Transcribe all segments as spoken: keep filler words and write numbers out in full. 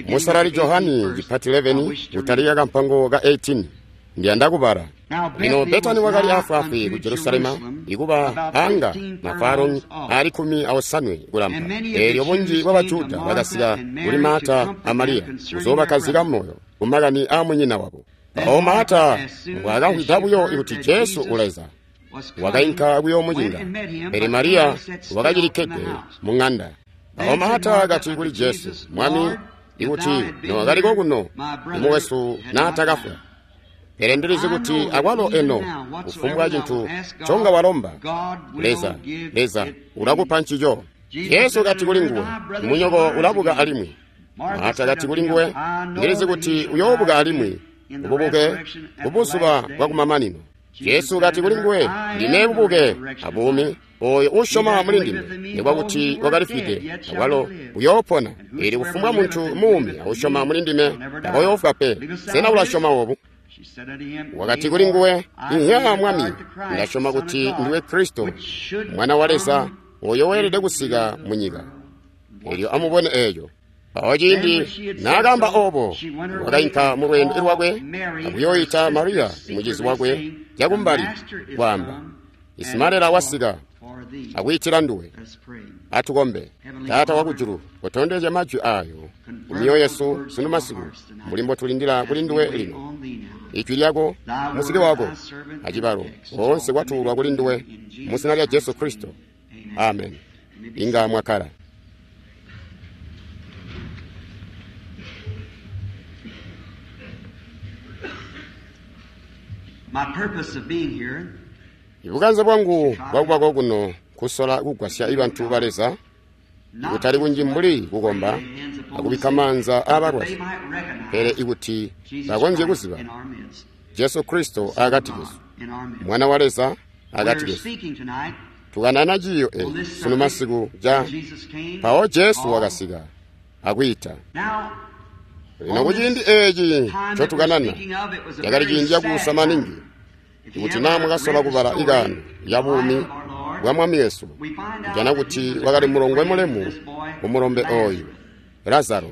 Musalali Johani chipati eleven kutalika kampango ka eighteen ndiyanda kubala. Lino Betani wakali afwaafwi ku Jerusalema ikuba anga mafaro ali khumi aosanwe kulampa. Eelyo bunji bwa Bajuda bakasika kuli Marta a Mariya kuzoobakazika moyo kumakani a munyina wabo. Mpawo Marta mbwaakamvwida buyo kuti Jesu uleza, wakainka kuyoomucinga, pele Mariya wakacilikkede muŋanda. Mpawo Marta akati kuli Jesu, Mwami, ikuti nowakaliko kuno, imukwesu naatakafwa. Pele ndilizi kuti akwalo eno kufumbwa cintu nconga walomba Leza, Leza ulakupa ncico. Jesu kati kuli nguwe, munyoko ulabuka alimwi. Marta kati kuli nguwe, ndilizi kuti uyoobuka alimwi ububuke kubuzuba bwakumamanino. Jesu kati kuli nguwe, ndime bubuke abuumi. Oyo usyoma muli ndime, nikuba kuti wakalifwide, akwalo uyoopona. Eelyo kufumbwa muntu muumi ausyoma muli ndime takoyoofwa pe. Sena ulasyoma obu? Wakati kuli nguwe, Inhya Mwami, ndasyoma kuti ndiwe Kristo, Mwana wa Leza, oyo weelede kusika munyika. Eelyo amubone eeco. Mpawo ciindi naakaamba obo, wakainka mu lweendo lwakwe akuyooyita Mariya mucizi wakwe cakumbali, kwaamba, Isimalela wasika akwiitila nduwe. Atukombe. Taata wakujulu, kotondezya majwi ayo kumyoyo yesu sunu masiku, mbuli mbotulindila kuli nduwe lino. Ijwi lyako, musiki wako, acibalo oonse kwatuulwa kuli nduwe mu zina lya Jesu Kristo. Amen. Inga mwakkala. Ibukanze bwangu bwakubako kuno kusola kugwasya ibantu ba Leza, kutali kunji mbuli kukomba akubikka maanza aabalwazi, pele ikuti bakonzye kuziba Jesu Kristo akati kesu, Mwana wa Leza akati kesu. Tukanana ciiyo eeci sunu masiku ca mpawo Jesu wakasika akwiita. Lino kuciindi eeci ncotukanana cakali ciindi cakuusa maningi. Ikuti naa mwakasola kubala ikaano ya buumi bwa Mwami Yesu, kujana kuti wakali mulongwe mulemu kumulombe oyu Lazaro.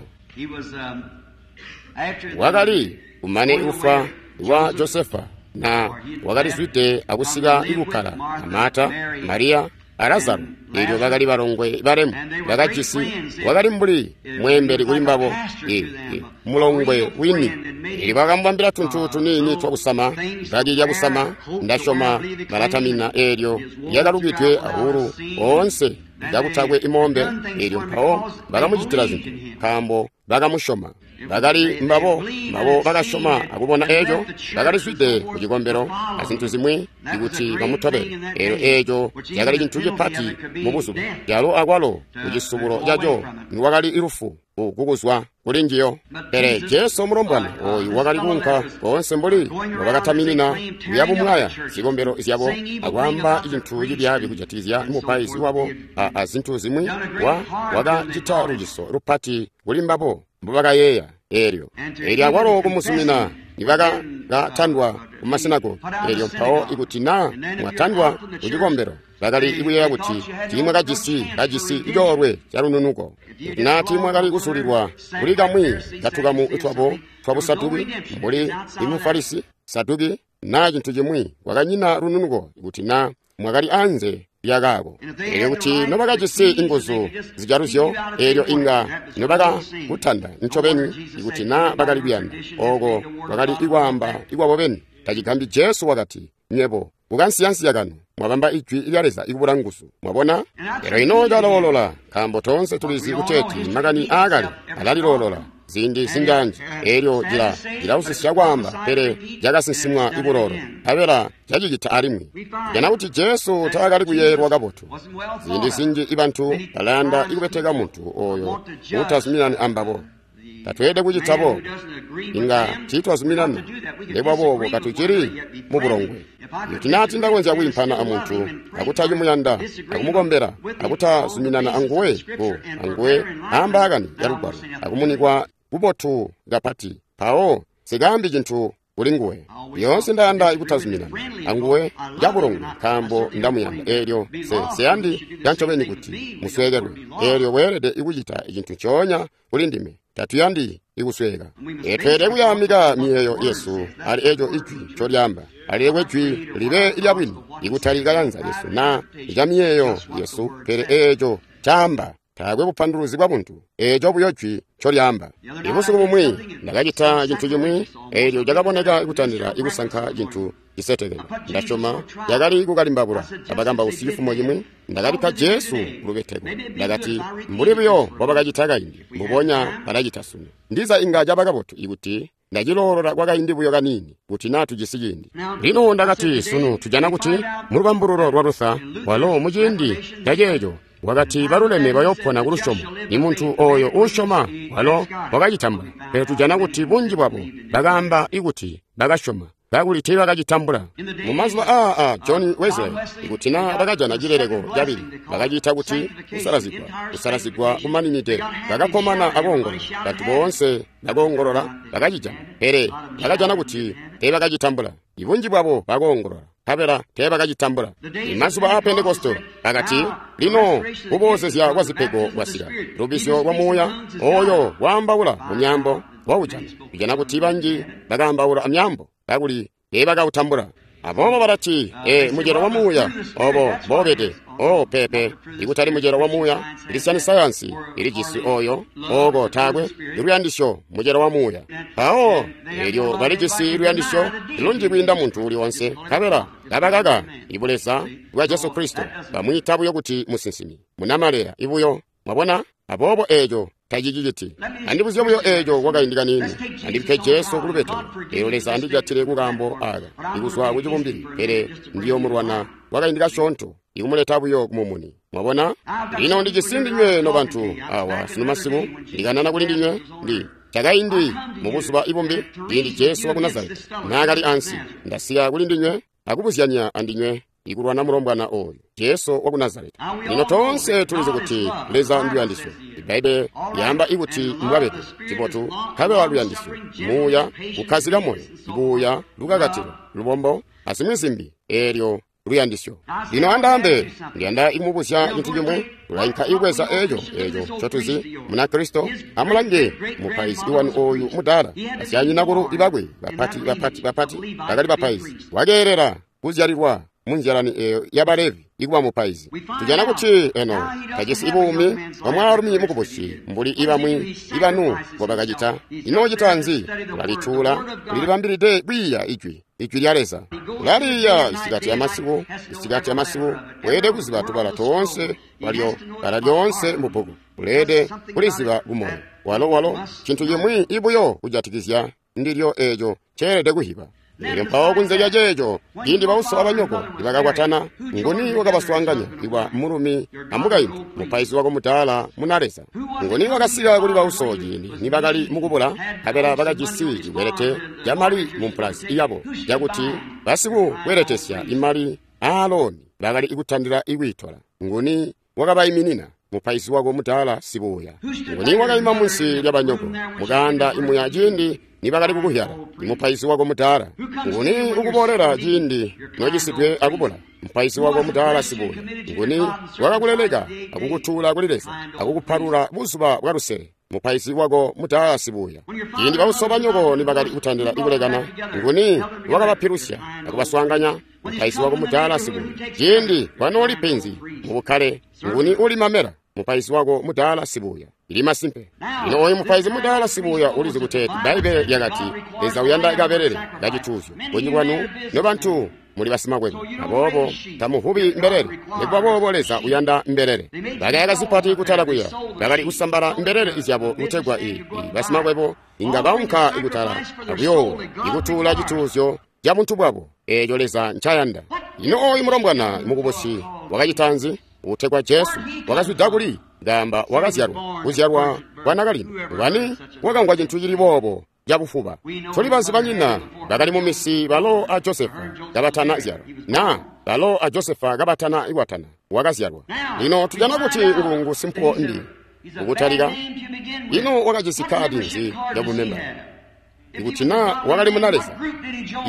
Wakali kumane kufwa kwa Josefa na wakalizwide akusika ikukkala a Marta, Mariya a Lazaro. Eelyo bakali balongwe balemu bakajisi, wakali mbuli mweembeli kuli mbabo, e, e, mulongwe wini. Eelyo bakamubambila tuntu tuniini twakusama, bbaki lyakusama, ndasyoma balatamina eelyo lyakalukidwe awulu oonse kakutakwe imombe. Eelyo mpawo bakamucitila zintu nkaambo bakamusyoma. Bakali mbabo mbabo bakasyoma akubona eeco, bakalizwide ku cikombelo azintu zimwi ikuti bamutobele. Eelyo eeco cakali cintu cipati mu buzuba, calo akwalo ku cisubulo caco niwakali lufu kukuzwa kuli njiyo. Pele Jesu mulombwana oyu wakali kuunka koonse mbuli mbobakataminina kuyabumwaya zikombelo zyabo akwaamba cintu cibyaabi kujatikizya mupaizi wabo a zintu zimwi, wa wakacita luciso lupati kuli mbabo mbobakayeeya. Eelyo eelyo akwalo kumuzumina nibakatandwa ku masinagogi. Eelyo mpawo ikuti naa mwatandwa ku cikombelo, bakali kuyeeya kuti tiimwakajisi kajisi coolwe calununuko. Ikuti naa tiimwakali kuzulilwa kuli kamwi katukamu twabo twabusaduki mbuli imufarisi Saduki naa cintu cimwi, kwakanyina lununuko ikuti naa mwakali anze lyakaako. Eelyo kuti nobakajisi inguzu zijaluzyo, eelyo inga nobakakutanda ncobeni ikuti naa bakali kuyanda. Ooko kwakali ikwaamba ikwabo beni. Tacigambi Jesu wakati, nywebo kukansiyansiya kanu mwabamba ijwi lya Leza ikubula nguzu. Mwabona? Lero ino caloolola, nkaambo toonse tulizi kuteeti makani aakale alaliloolola ziindi zinjaanji. Eelyo cila cilausisya kwaamba, pele cakasinsimwa ikuloolo, nkabela cacicita alimwi. Jana kuti Jesu taakali kuyeeyelwa kabotu. Ziindi zinji ibantu balayanda ikubeteka muntu oyo uutazuminani ambabo. Tatweelede kucita boobo. Inga tiitwazuminana, nikuba boobo katucili mu bulongwe. Ikuti naa tindakonzya kwiimpana amuntu akutacimuyanda akumukombela akutazuminana anguwe ku anguwe aambaakani ya Lugwalo akumunikwa kubotu kapati, mpawo sikaambi cintu kuli nguwe. Lyoonse ndayanda kutazuminana anguwe cabulongwe nkaambo ndamuyanda. Eelyo se siyandi cancobeni kuti musweekelwe. Eelyo weelede kucita cintu ncoonya kuli ndime. Tatuyandi ikusweka. Tweelede kuyaamika miyeeyo yesu ali eco ijwi ncolyaamba. Alilekwe jwi libe lyabwini, ikutali kayanza yesu naa ca miyeeyo yesu, pele eeco caamba. Taakwe bupanduluzi bwa buntu, eeco buyo jwi ncolyaamba. Ibusiku bumwi ndakacita cintu cimwi eelyo cakaboneka kutandila ikusanka cintu cisetekene. Ndasyoma cakali kukalimbabula abakambausi cifumo cimwi. Ndakabikka Jesu kulubeteko. Ndakati, mbuli buyo mbobakacita kaindi, mbubonya balacita sunu. Ndiza inga caba kabotu ikuti ndaciloolola kwakaindi buyo kaniini, kuti naa tujisi ciindi. Lino ndakati, sunu tujana kuti mulubambululo lwa Luther, walo muciindi caceeco wakati baluleme bayopona kulusyomo. Ni muntu oyo uusyoma walo wakacitambula. Pele tujana kuti bunji bwabo bakaamba ikuti bakasyoma, kakuli teebakacitambula. Mumazuba aa a John Wesley, ikuti naa bakajana cileleko cabili, bakaciita kuti kusalazigwa, kusalazigwa kumaninide. Bakakkomana akoongolola, bantu boonse bakoongolola bakacijana, pele bakajana kuti teebakacitambula. Ibunji bwabo bakoongolola, nkabela teebakacitambula. Imazuba aa Pentekoste bakati, lino kuboozezya kwa zipego kwasika, lubisyo lwa muuya oyo waambaula mu myaambo waujana. Tujana kuti banji bakaambaula amyaambo kakuli teebakautambula. Aboobo balati, e mucelo wa muuya obo mboobede. O pepe, ikutali mucelo wa muuya. Kristian Science ilijisi oyo oko taakwe luyandisyo mucelo wa muuya. Mpawo eelyo balijisi luyandisyo lunji kwiinda muntu uli onse, nkabela kabakaka ibuleza bwa Jesu Kristo, bamwiita buyo kuti musinsimi munamaleya ibuyo. Mwabona? Aboobo eeco taciciciti. Andibuzye buyo eeco kwakaindi kaniini. Andibikke Jesu kulubeteko. Eelyo Leza andijatile kukaambo aka ikuzwa kucibumbili, pele ndiyomulwana kwakaindi kasyoonto, ikumuleta buyo kumumuni. Mwabona? Lino ndijisi ndinywe nobantu awa sunu masiku, ndikanana kuli ndinywe ndi cakaindi mubuzuba ibumbi, ciindi Jesu waku Nazareti naakali ansi. Ndasika kuli ndinywe akubuzyanya andinywe ikulwana mulombwana oyu Jesu waku Nazareti. Lino toonse tulizi kuti Leza nduyandisyo. Ibbaibbele lyaamba ikuti mbwabede cibotu, nkabela luyandisyo, muuya kukkazika moyo, buuya, lukakatilo, lubombo, azimwi zimbi, eelyo luyandisyo. Lino andaambe, ndiyanda ikumubuzya cintu cimwi. Tulainka ikubweza eeco eeco ncotuzi Munakristo. Amulange mupaizi wanu oyu mudaala, basyanyinakulu ibakwe bapati bapati bapati bakali bapaizi. Wakeelela kuzyalilwa munzyalani eyo yabalevi ikuba mupaizi. Tujana kuti eno tajisi ibuumi bwa mwaalumi mukubusi mbuli ibamwi ibanu mbobakacita. Ino ucita nzi? Ulalituula, ulilibambilide kwiiya ijwi, ijwi lya Leza. Ulaliiya isikati amasiku, isikati amasiku. Weelede kuziba tubala toonse walyo, bala lyoonse mubbuku. Uleelede kuliziba kumoyo. Walo walo cintu cimwi ibuyo kujatikizya ndilyo eeco ceelede kuhiba. Elyo mpawo kunze lya ceeco, ciindi bauso abanyoko nibakakwatana, nguni wakabaswaanganya iwa mulumi amukaintu, mupaizi wako mudaala muna Leza? Nguni wakasika kuli bauso ciindi nibakali mukubula, nkabela bakajisi cikwelete camali mumpulazi yabo, cakuti basikukweletesya imali aaloni bakali kutandila ikwiitola? Nguni wakabaiminina? Mupaizi wako mudaala sibuuya. Nguni wakaima munsi lyabanyoko mukaanda imuya ciindi nibakali kukuhyala? Mupaizi wako mudaala. Nguni ukuboolela ciindi nocisidwe akubula? Mupaizi wako mudaala sibuuya. Nguni wakakuleleka akukutuula kuli Leza akukupalula buzuba bwa lusele? Mupaizi wako mudaala sibuuya. Ciindi bauso banyoko nibakali kutandila ikulekana, nguni wakabapilusya akubaswaanganya? Mupaizi wako mudaala sibuuya. Ciindi kwanooli penzi mubukkale, nguni uli mamela? Mupaizi wako mudaala sibuuya. Ili masimpe. Lino oyu mupaizi mudaala sibuuya ulizi kuti Bbaibbele lyakati Leza uyanda kabelele kacituuzyo. Bunji bwanu nobantu muli basimakwebo, aboobo tamuvubi mbelele. Nikuba boobo Leza uyanda mbelele. Bakayaka zipati kutala kuya, bakali kusambala mbelele zyabo kutegwa i, i basimakwebo inga baunka ikutala akuyoowa ikutuula cituuzyo ca buntu bwabo eeco Leza ncayanda. Lino oyu mulombwana mukubusi wakacita nzi? Utegwa Jesu wakazwida kuli? Ngamba wakazyalwa kuzyalwa kwa nakalino. Ngwani wakamvwa cintu cili boobo cabufuba? Tuli banzi banyina bakali mu misi balo a Josefa kabatana zyalwa, na balo a Josefa kabatana ikwatana wakazyalwa. Lino tujana kuti ngungu simpuwo mbi ukutalika. Ino wakajisi kadi nzi yabumemba? Ikuti na wakali muna Leza,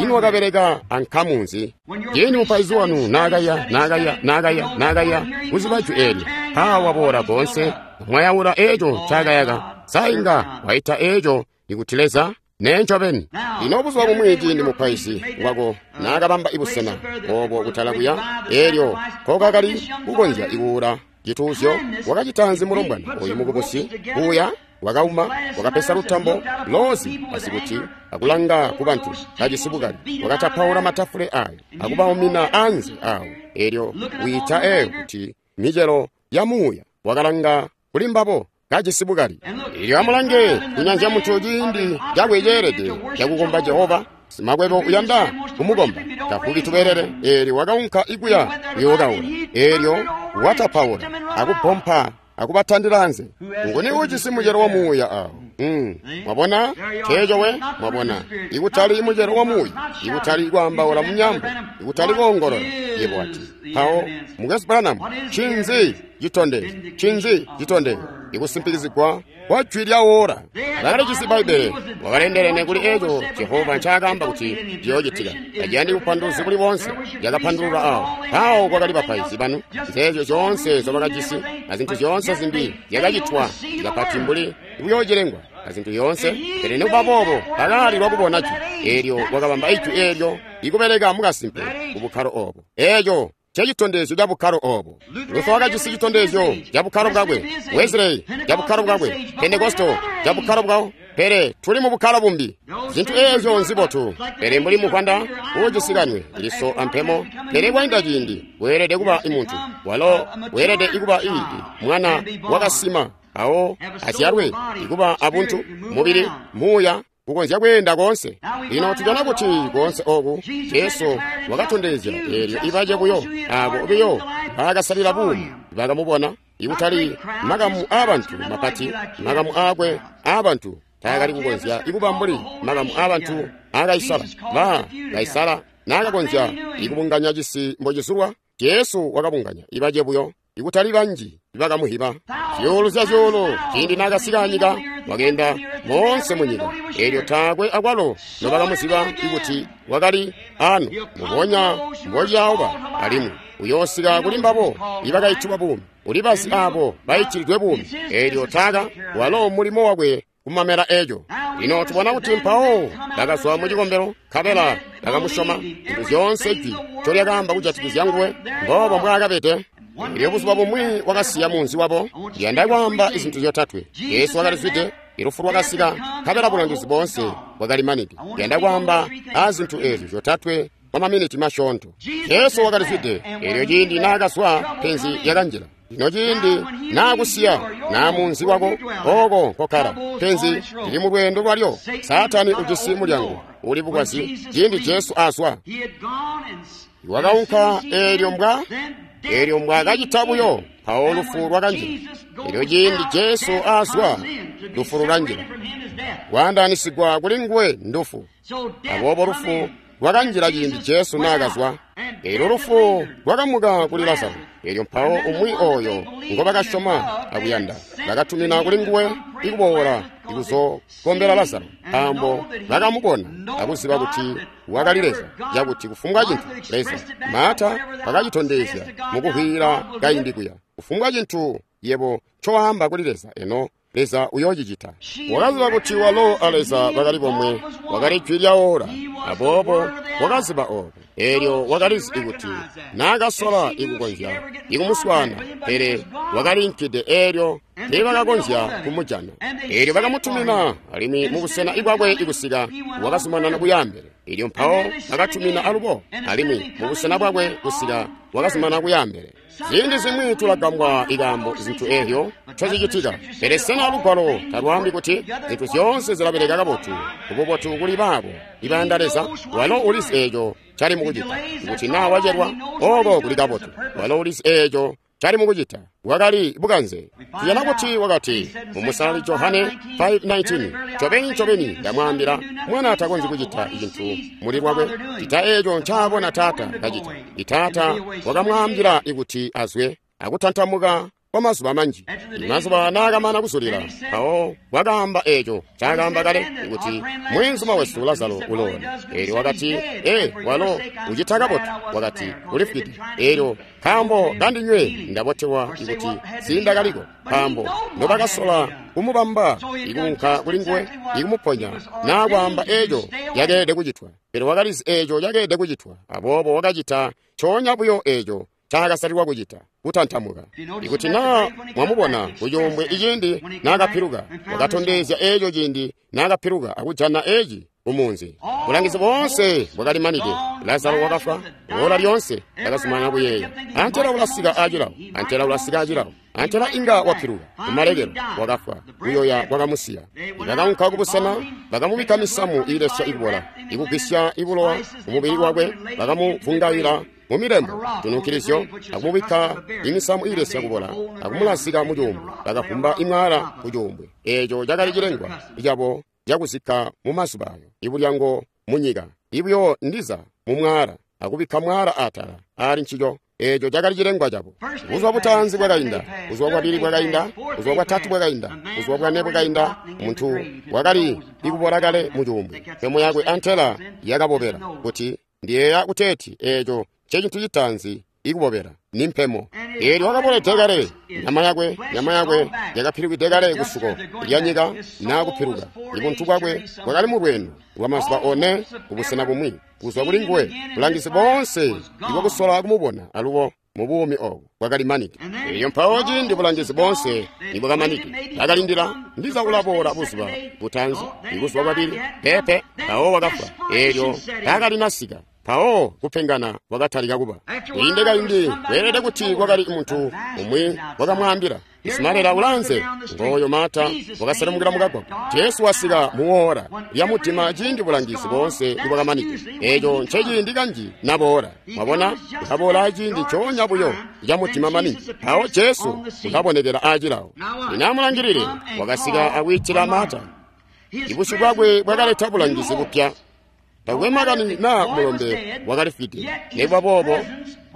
ino wakabeleka ankamu nzi? Ciindi mupaizi wanu naakaya, naakaya, naakaya, naakaya kuziba jwi eelyo, mpaawa boola koonse, mwayaula eeco ncaakayaka, sa inga waita eeco ikuti Leza? Nee ncobeni. Lino buzuba bumwi ciindi mupaizi wako naakabamba ibusena obo kutala kuya, eelyo nkokakali kukonzya ikuula cituuzyo, wakacita nzi mulombwana oyu mukubusi kuya? Wakauma, wakapesa lutambo loozi asikuti akulanga ku bantu kajisi bukali, wakatapaula matafule ayo akubaumina anze awo. Eelyo wiita eyo kuti micelo ya muuya, wakalanga kuli mbabo kajisi bukali. Eelyo amulange kunyanzya muntu ciindi cakwe ceelede cakukomba Jehova. Simakwebo uyanda kumukomba tafuki tubelele. Eelyo wakaunka ikuya kuyookaula. Eelyo watapaula akupompa akubatandila anze. Nguni ujisi mucelo wa muuya awo? Mm. Mwabona ceeco we? Mwabona, ikutali mucelo wa muuya, ikutali kwaambaula munyambo, ikutali koongolola. Yebo wati, mpawo Mukwesu Branham, ncinzi citondezyo? Ncinzi citondezyo? Ikusimpikizigwa kwa jwi lya ora. Bakalijisi Bbaibbele, wakalendelene kuli eco Jehova ncaakaamba kuti ciyoocitika. Taciyandi bupanduluzi buli boonse, lyakapandulula awo. Mpawo kwakali bapaizi banu, nzeezyo zyoonse nzobakajisi, na zintu zyoonse zimbi zyakacitwa kapati mbuli buyoocilengwa na zintu zyoonse. Pele nikuba boobo bakaalilwa kubona jwi eelyo. Wakabamba ijwi eelyo ikubeleka mukasimpe ku bukkalo oobo. Eeco cecitondezyo ca bukkalo oobo. Luther wakajisi citondezyo ca bukkalo bwakwe, Wesley ca bukkalo bwakwe, Pentekosto ca bukkalo bwawo, pele tuli mu bukkalo bumbi. Zintu eezyo nzibotu, pele mbuli muvwanda uujisikanwe liso ampemo. Pele kwainda ciindi weelede kuba imuntu, walo weelede ikuba ii mwana wakasima awo azyalwe ikuba abuntu, mubili, muuya kukonzya kweenda koonse. Lino tujana kuti koonse oku Jesu wakatondezya eelyo ibace buyo abo biyo baakasalila buumi bakamubona, ikutali makamu aabantu mapati, makamu aakwe aabantu taakali kukonzya ikuba mbuli makamu aabantu aa Kaisala. Ba Kaisala naakakonzya ikubunganya cisi mbocizulwa, Jesu wakabunganya ibace buyo, ikutali banji bakamuhiba. Zyuulu zya zyuulu ciindi naakasika anyika, wakeenda moonse munyika, eelyo taakwe akwalo nobakamuziba ikuti wakali ano. Mubonya mbociyauba alimwi uyoosika kuli mbabo ibakaitibwa buumi, ulibazi abo baitilidwe buumi. Eelyo taaka walo mulimo wakwe kumamela eco. Lino tubona kuti mpawo bakazwa mu cikombelo, nkabela bakamusyoma. Zintu zyoonse jwi ncolyakaamba kujatikizya nguwe, mboobo mbwaakabede. Elyo buzuba bumwi wakasiya munzi wabo. Ndiyanda kwaamba izintu zyotatwe. Yesu wakalizwide, ilufu lwakasika, nkabela bulangizi boonse bwakalimanide. Ndiyanda kwaamba aazintu eezyo zyotatwe kwa maminiti masyoonto. Jesu wakalizwide, eelyo ciindi naakazwa penzi lyakanjila. Lino ciindi naakusiya naa munzi wako ooko nkokkala, penzi lili mu lweendo lwalyo. Saatani ujisi mulyango uli bukwazi. Ciindi Jesu azwa, wakaunka eelyo mbwa eelyo mbwaakacita buyo, mpawo lufu lwakanjila. Eelyo ciindi Jesu azwa, lufu lulanjila. Kwaandaanisigwa kuli nguwe ndufu. Aboobo lufu lwakanjila ciindi Jesu naakazwa. Eelyo lufu lwakamuka kuli Lazaro. Eelyo mpawo umwi oyo ngobakasyoma akuyanda bakatumina kuli nguwe ikuboola ikuzokombela Lazaro, nkaambo bakamubona akuziba kuti wakali Leza, cakuti kufumbwa cintu Leza Maata wakacitondezya mukuhwila kaindi kuya. Kufumbwa cintu yebo ncowaamba kuli Leza, eno Leza uyoocicita. Wakaziba kuti walo a Leza bakali bomwe, wakali jwi lya ora. Aboobo wakaziba obo. Eelyo wakalizi ikuti naakasola ikukonzya ikumuswaana, pele wakaliinkide eelyo teebakakonzya kumujana. Eelyo bakamutumina alimwi mubusena ibwakwe ikusika wakazumanana kuyaambele. Eelyo mpawo bakatumina alubo alimwi mubusena bwakwe kusika wakazumanana kuyaambele. Ziindi zimwi tulagambwa ikaambo zintu eezyo ncozicitika, pele sena lugwalo talwaambi kuti zintu zyoonse zilabeleka kabotu kububotu kuli baabo ibayanda Leza? Walo ulizi eeco cali mukucita. Kuti naa wacelwa, ooko kuli kabotu. Walo ulizi eeco cali mukucita. Wakali bukanze. Tujana kuti wakati mumusalali Johane five nineteen, ncobeni ncobeni ndamwaambila, mwana takonzyi kucita cintu muli lwakwe cita eeco ncaabona Taata kacita. Itaata wakamwaambila ikuti azwe akutantamuka kwa mazuba manji. Mazuba naakamana kuzulila, mpawo wakaamba eeco ncaakaamba kale kuti mweenzuma wesu Lazaro uloona. Eelyo wakati, ee, walo ucita kabotu. Wakati, ulifwide. Eelyo nkaambo kandinywe ndabotelwa kuti siindakaliko, nkaambo nobakasola kumubamba ikuunka kulinguwe ikumuponya naa kwaamba eeco yakeelede kucitwa. Pele wakalizi eeco yakeelede kucitwa, aboobo wakacita ncoonya buyo eeco ncaakasalilwa kucita, kutantamuka. Ikuti naa mwamubona kucuumbwe iciindi naakapiluka, wakatondezya eeco ciindi naakapiluka akujana eeci kumunzi. Bulangizi boonse bwakalimanide. Lazaro wakafwa. Ola lyoonse ndakazumanana kuyeeya, antela ulasika acilawo, antela ulasika acilawo, antela inga wapiluka. Kumalekelo wakafwa, kuyoya kwakamusiya. Bakaunka kubusena, bakamubikka misamu iilesya ikubola, ikugwisya ibulowa kumubili wakwe, bakamuvungaila mumilembo tununkilizyo, akumubikka imisamu iilesya kubola, akumulazika mucuumbwe. Bakavumba imwaala kucuumbwe. Eeco cakali cilengwa cabo cakuzikka mumazuba ayo, ibulyango munyika, ibuyo ndiza mumwaala, akubikka mwaala atala aali ncico. Eeco cakali cilengwa cabo. Buzuba butaanzi bwakainda, buzuba bwabili bwakainda, buzuba bwatatu bwakainda, buzuba bwane bwakainda. Muntu wakali ikubola kale mucuumbwe. Mpemo yakwe antela yakabobela. Kuti ndiyeeya kuteeti eeco ncecintu citaanzi ikubobela ni mpemo. Eelyo wakabolede kale, nyama yakwe nyama yakwe yakapilukide kale kusuko lya nyika naa kupiluka. Ibuntu bwakwe bwakali mu lweendo lwa mazuba one kubusena bumwi kuzwa kuli nguwe. Bulangizi boonse ibwakusola kumubona alubo mu buumi obu bwakalimanide. Eelyo mpawo ciindi bulangizi boonse nibwakamanide, bakalindila ndiza ulaboola buzuba butaanzi, ibuzuba bwabili, pepe, mpawo wakafwa. Eelyo taakalinasika. Mpawo kupengana kwakatalika kuba. Kwiinde kaindi kweelede kuti kwakali muntu umwi wakamwaambila, Isimalela ulanze. Ngoyo Marta wakaselemukila mukagwagwa. Jesu wasika muwoora lya mudima ciindi bulangizi boonse nibwakamanide. Eeco nceciindi kanji naboola. Mwabona, ulaboola aciindi ncoonya buyo ca mudima maningi. Mpawo Jesu ulabonekela aacilawo. Lino amulangilile, wakasika akwiitila Marta. Ibusyu bwakwe bwakaleta bulangizi bupya. Takwe makani naa mulombe wakalifwide. Nikuba boobo,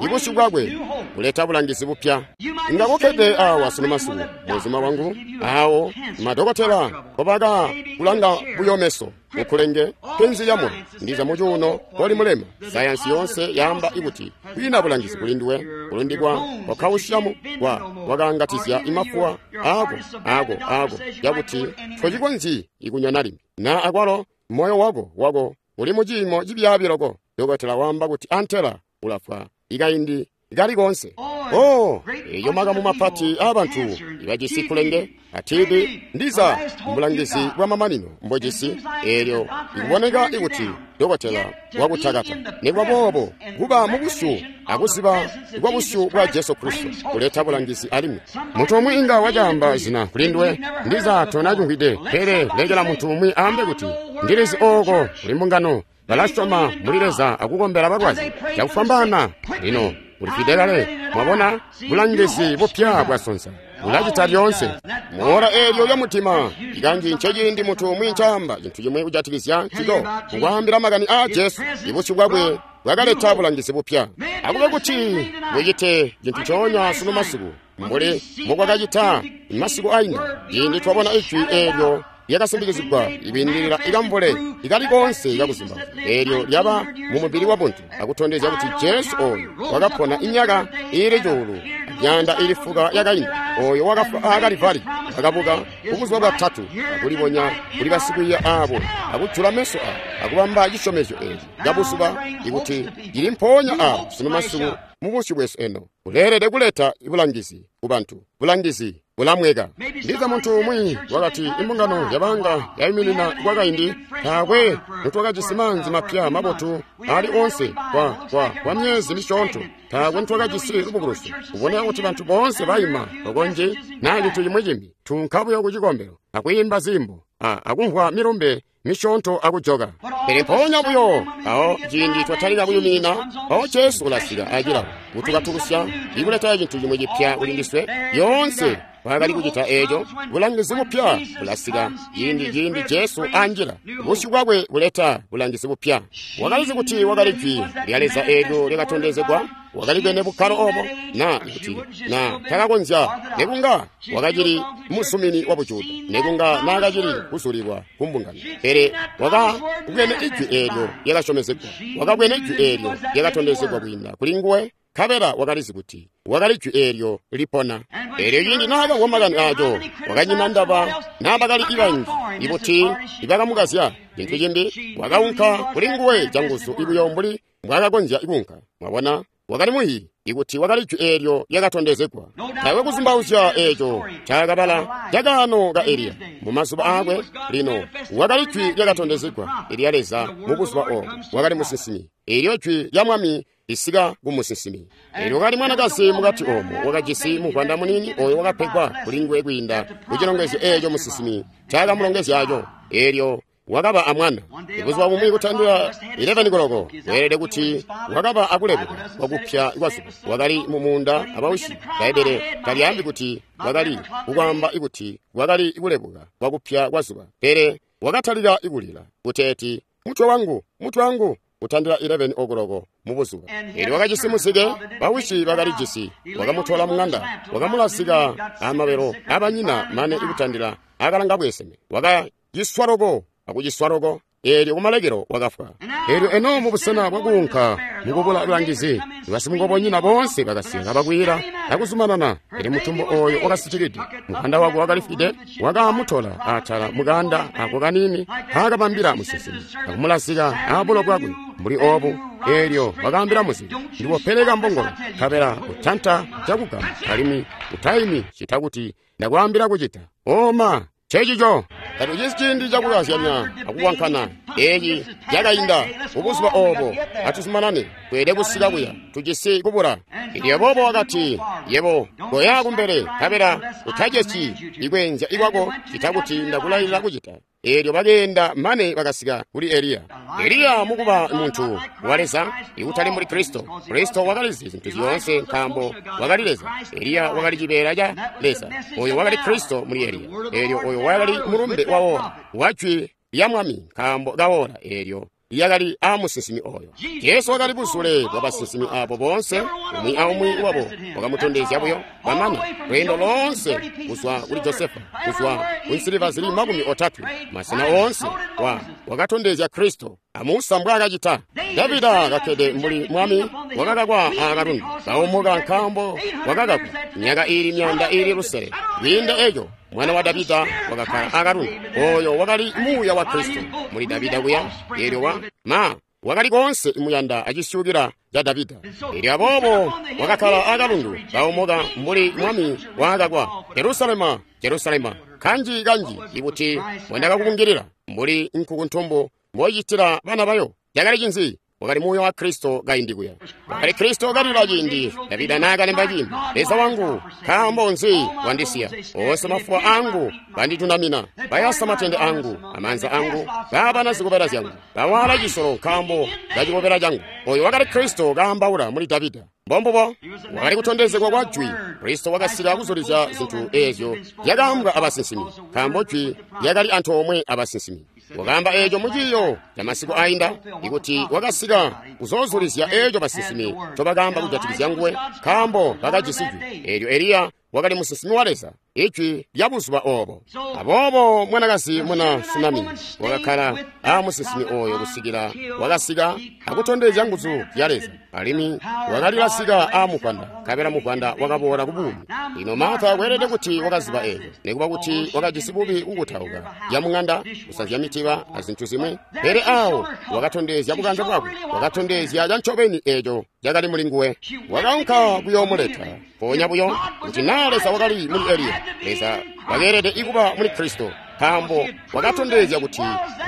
ibusyu bwakwe buleta bulangizi bupya. Inga kukkede awa sunu masiku, muzuma wangu, awo madokotela kobaka kulanga buyo meso, ukulenge penzi lyamoyo, ndiza mucuuno koli mulema. Sayansi yonse yaamba ikuti kwiina bulangizi kuli nduwe, kulundikwa kwa kawusyamu kwa wakangatizya imafuwa ako ako ako yakuti tocikonzyi ikunywa limbi. Na akwalo moyo wako wako uli muciimo cibyaabi loko. Dokotela waamba kuti antela ulafwa ikaindi kali konse. Oh, eyo makamu mapati aabantu ibajisi kulenge a T B ndiza mbulangizi bwa mamanino mbojisi. Eelyo ikuboneka ikuti dokotela wakutakata. Nikuba boobo, kuba mubusyu akuziba kwa busyu bwa Jesu Kristo kuleta bulangizi alimwi. Muntu umwi inga wacaamba zina kulinduwe, ndiza tonacumvwide, pele lekela muntu umwi aambe kuti ndilizi ooko kuli mbungano balasyoma muli Leza akukombela balwazi cakufwambaana. Lino ulifwide kale. Mwabona, bulangizi bupya bwasonsa bulacita lyoonse. Muola eelyo lya mutima ikanji nceciindi muntu umwi ncaamba cintu cimwi kujatikizya ncico, mukwaambila makani aa Jesu. Ibusyu bwakwe bwakaleta bulangizi bupya. Akube kuti bucite cintu ncoonya sunu masiku mbuli mbukwakacita masiku ainda, ciindi twabona ijwi eelyo lyakasimbikizigwa ikwiindilila ikamvule ikali konse ikakuzimba, eelyo lyaba mu mubili wa buntu akutondezya kuti Jesu oyo wakapona imyaka iili cuulu myanda iili fuka yakainda, oyo wakafwa aa Kalivari, wakabuka kubuzuba bwatatu, akulibonya kuli basikwiiya aabo, akujula meso aabo, akubamba cisyomezyo eeci cabuzuba ikuti cili mpoonya aawo sunu masiku mubusyu bwesu eno. Uleelede kuleta bulangizi kubantu, bulangizi bulamweka. Ndiza muntu umwi wakati imbungano yabanga yaiminina kwakaindi, taakwe nitwakajisi maanzi mapya mabotu ali onse kwa, kwa, kwa myezi misyoonto, taakwe nitwakajisi lubukulusyo. Kuboneka kuti bantu boonse baima okonje naa cintu cimwi cimbi, tunka buyo ku cikombelo akwiimba zimbo akumvwa milumbe misyoonto akujoka. Pele mpoonya buyo awo ciindi twatalika kuyumina, mpawo Jesu ulasika acilawo kutukatukusya ikuleta cintu cimwi cipya kuli ndiswe. Yoonse nkwaakali kucita eeco. Bulangizi bupya bulasika ciindi ciindi Jesu anjila. Busyu bwakwe buleta bulangizi bupya. Wakalizi kuti wakali Jwi lya Leza eelyo lyakatondezegwa. Wakali bwene bukkalo obo, na kuti na takakonzya, nekunga wakacili musumini wa bujuda, nekunga naakacili kuzulilwa ku mbungano. Pele wakabwene Ijwi eelyo lyakasyomezegwa, wakabwene Ijwi eelyo lyakatondezegwa kwiinda kuli nguwe, nkabela wakalizi kuti wakali Jwi eelyo lipona. Eelyo ciindi naakamvwa makani aaco, wakanyina ndaba naabakali ibanji ibuti ibakamukazya. Cintu cimbi, wakaunka kuli nguwe canguzu ibuyo mbuli mbwaakakonzya kuunka. Mwabona? Wakali muyi ikuti wakali Jwi eelyo lyakatondezegwa. Taakwe kuzumbauzya eeco ncaakabala cakaano ka Eliya mu mazuba aakwe. Lino wakali Jwi lyakatondezegwa ilya Leza mu buzuba oobo. Wakali musinsimi. Eelyo Jwi lya Mwami lisika ku musinsimi. Eelyo wakali mwanakazi mukati oomo wakajisi muvwanda muniini ooyo wakapegwa kuli nguwe kwiinda ku cilongezyo eeco musinsimi ncaakamulongezyaco. Eelyo wakaba amwana. Buzuba bumwi kutandila eleven koloko, weelede kuti wakaba akulebuka kwakupya kwazuba. Wakali mu muunda abawisi. Bbaibbele talyaambi kuti wakali kukwaamba kuti wakali kulebuka kwakupya kwazuba, pele wakatalika kulila kuteeti, mutwe wangu, mutwe wangu, kutandila eleven okoloko mu buzuba. Eelyo wakajisi muzike, bawisi bakalijisi, wakamutola mung'anda, wakamulazika amabelo abanyina mane kutandila akalanga bweseme. Wakaciswa loko akuciswa loko, eelyo kumalekelo wakafwa. Eelyo eno mubusena bwakuunka mukubula bulangizi, basimukobonyina boonse bakasika kabakwila akuzumanana. Pele mutumbu ooyo wakasitikide, mukanda wakwe wakalifwide, wakamutola atala mukanda ako kaniini nkaakabambila musinsimi, akumulazika abulo bwakwe mbuli oobu. Eelyo wakaambila muzike, ndiwopeleka mbongolo, nkabela utanta cakugama, alimwi utaimi cita kuti ndakwaambila kucita. Oma Checico tatucisi ciindi cakukazyanya akuwankana. Eeci cakainda mubuzuba oobo. Atuzumanane, tweelede kusika kuya, tujisi kubula. Eelyo boobo wakati, yebo koya kumbele, nkabela utacesyi ikweenzya ikwako cita kuti ndakulailila kucita. Eelyo bakeenda mane bakasika kuli Eliya. Eliya mukuba muntu wa Leza, ikutali mbuli Kristo. Kristo wakalizi zintu zyoonse nkaambo wakali Leza. Eliya wakali cibeela ca Leza. Oyo wakali Kristo muli Eliya. Eelyo oyo wakali mulumbe wa ora, wa Jwi lya Mwami nkaambo ka ora eelyo lyakali aamusinsimi oyo. Jesu wakali buzule bwa basinsimi abo boonse, umwi aumwi wabo wakamutondezya buyo bamana lweendo loonse kuzwa kuli Josefa, kuzwa ku nsiliva zili makumi otatwe, masena oonse wa wakatondezya Kristo. Amusa mbwaakacita. Davida kakkede mbuli mwami wakakakwa aakalundu, kaumuka nkaambo wakakakwa myaka iili myanda iili lusele. Kwiinda eco, mwana wa Davida wakakkala aakalundu. Oyo wakali muuya wa Kristo muli Davida kuya. Eelyo wa ma wakali koonse muyanda acisyukila ca Davida. Eelyo aboobo wakakkala aakalundu kaumuka mbuli mwami waakakwa. Jerusalema, Jerusalema, kanji kanji ikuti mbwendakakubungilila mbuli nkukuntumbu mbocitila bana bayo. Cakali cinzi? Wakali muuya wa Kristo kaindi kuya. Wakali Kristo kalila ciindi Davida naakalemba ciindi, Leza wangu, nkaambo nzi wandisiya? Oonse mafuwa angu banditunamina, bayasa matende angu amaanza angu, baabana zikobela zyangu, bawaala cisolo nkaambo kacikobela cangu. Oyo wakali Kristo kaambaula muli Davida. Mbombubo wakali kutondezegwa kwa Jwi. Kristo wakasika kuzulizya zintu eezyo zyakaambwa abasinsimi, nkaambo Jwi lyakali antoomwe abasinsimi. Wakaamba eeco muciiyo ca masiku ainda, ikuti wakasika kuzoozulizya eeco basinsimi ncobakaamba kujatikizya nguwe, nkaambo bakajisi Jwi. Eelyo Eliya wakali musinsimi wa Leza, Ijwi lya buzuba oobo. Aboobo mwanakazi muna Sunami wakakkala aamusinsimi oyo kusikila wakasika akutondezya nguzu zya Leza, alimwi wakalilasika aamuvwanda, nkabela muvwanda wakaboola ku buumi. Lino Martha kweelede kuti wakaziba eeco, nikuba kuti wakajisi bubi kukutauka yamung'anda, kusanzya mitiba azintu zimwi, pele aawo wakatondezya bukanze bwakwe, wakatondezya cancobeni eeco cakali muli nguwe. Wakaunka kuyoomuleta mpoonya buyo kuti naa Leza wakali muli Eliya, Leza wakeelede ikuba muli Kristo, nkaambo wakatondezya kuti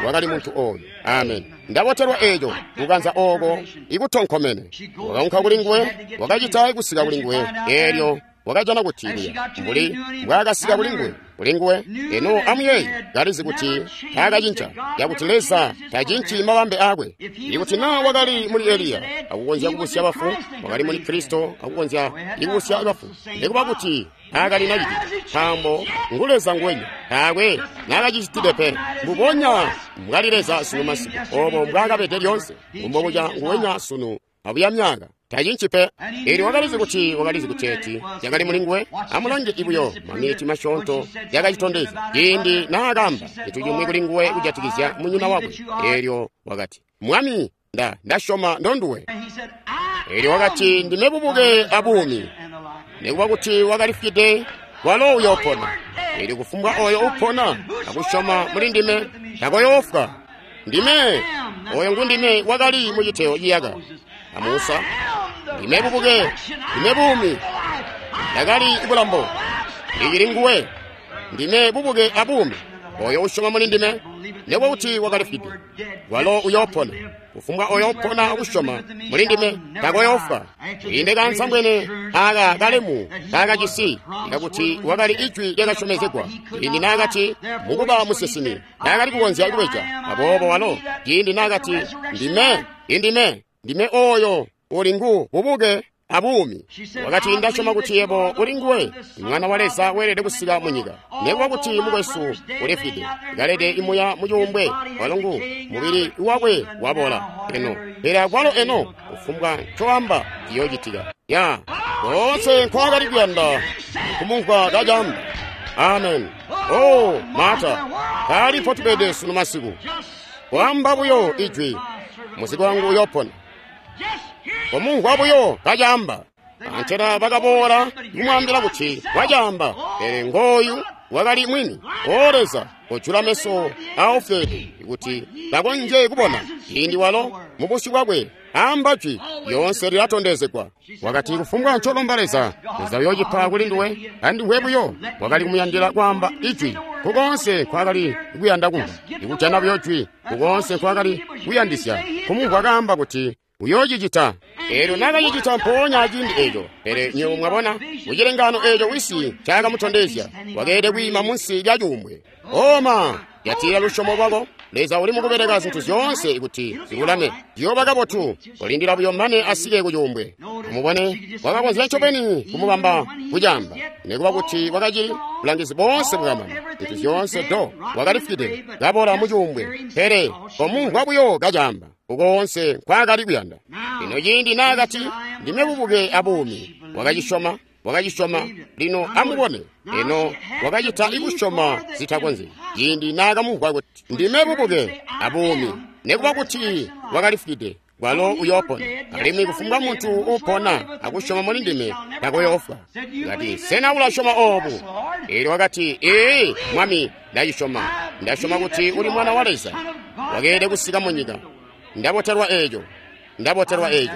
wakali muntu oyo. Amen. Ndabotelwa eeco kukanza ooko ikutonkomene. Wakaunka kuli nguwe, wakacita kusika kuli nguwe. Eelyo wakajana kuti kuya mbuli mbwaakasika kuli nguwe. kuli nguwe. Eno amuyeeye, kalizi kuti taakacinca, yakuti Leza tacinci mabambe aakwe. Ikuti naa wakali muli Eliya akukonzya kubusya bafu, wakali muli Kristo akukonzya kubusya bafu, nikuba kuti taakali nacicita, nkaambo ngu Leza nguwenya, taakwe naakacicitide pe. Mbubonya mbwali Leza sunu masiku, obo mbwaakabede lyoonse, mbubonya nguwenya sunu abuya myaka. Tacinci pe. Eelyo wakalizi kuti wakalizi kuteeti yakali muli nguwe. Amulange ibuyo maminiti masyoonto yakacitondezya ciindi naakamba cintu cimwi kuli nguwe kujatikizya munyina wakwe. Eelyo wakati, Mwami, nda ndasyoma ndonduwe. Eelyo wakati, ndime bubuke abuumi. Nikuba kuti wakalifwide, walo uyoopona. Eelyo kufumbwa oyo upona akusyoma muli ndime takoyoofwa. Ndime oyo ngundime wakali muciteyo ciyaka. A Musa, ndime bubuke, ndime buumi, ndakali bulambo, ndicili nguwe, ndime bubuke abuumi. Oyo usyoma muli ndime, nikuba kuti wakalifwide, walo uyoopona. Kufumbwa oyo upona akusyoma muli ndime takoyoofwa. Inde kansambwene aka kalemu kaakajisi kakuti wakali ijwi lyakasyomezegwa. Ciindi naakati mukuba musinsimi taakali kukonzya kubeja. Aboobo walo ciindi naakati ndime, indime, ndime oyo uli ngu bubuke abuumi. Wakati, ndasyoma kuti yebo uli nguwe, Mwana wa Leza weelede kusika mu nyika. Nikuba kuti mukwesu ulifwide, kalede imuya mucuumbwe, walo ngu mubili wakwe wabola eno, pele akwalo eno kufumbwa ncoamba ciyoocitika. Ya koonse nkwaakali kuyanda kumumvwa kacamba. Amen. Oh, Marta, kali potubede sunu masiku. Kwaamba buyo ijwi, muzike wangu uyoopona. Komumvwa buyo kacamba. Antela bakaboola kumwaambila kuti wacamba, pele ngooyu wakali mwini. O Leza, kojula meso aofwede kuti bakonzye kubona. Ciindi walo mubusyu bwakwe amba jwi lyoonse lilatondezegwa. Wakati, kufumbwa ncolomba Leza, Leza uyoocipa kuli nduwe. Andiwe buyo wakali kumuyandila kwaamba ijwi kukoonse nkwakali kuyanda kumva, ikujana buyo jwi kukoonse nkwakali kuyandisya kumumvwa kaamba kuti uyoocicita. Eelyo naakacicita mpoonya aciindi eeco. Pele nywebo mwabona mucilengano eeco wisi ncakamutondezya, wakeelede kwiima munsi lya cuumbwe. Oma, jatila lusyomo lwako. Leza uli mukubeleka zintu zyoonse kuti zilulame. Ziyooba kabotu, kolindila buyo mane asike ku cuumbwe. Mubone, wakakonzya ncobeni kumubamba kucamba, nikuba kuti wakacili bulangizi boonse bwakamana, zintu zyoonse do wakalifwide kabola mu cuumbwe. Pele komumvwa buyo kacamba ukoonse nkwaakali kuyanda. Lino ciindi naakati ndime bubuke abuumi, wakacisyoma, wakacisyoma. Lino amubone, eno wakacita ikusyoma zitakonzyi. Ciindi naakamumvwa kuti ndime bubuke abuumi, nikuba kuti wakalifwide, walo uyoopona. Alimwi kufumbwa muntu upona akusyoma muli ndime takoyoofwa. Kati, sena ulasyoma oobu? Eelyo wakati, ee, Mwami, ndacisyoma. Ndasyoma kuti uli Mwana wa Leza, wakeelede kusika mu nyika. Ndabotelwa eeco, ndabotelwa eeco.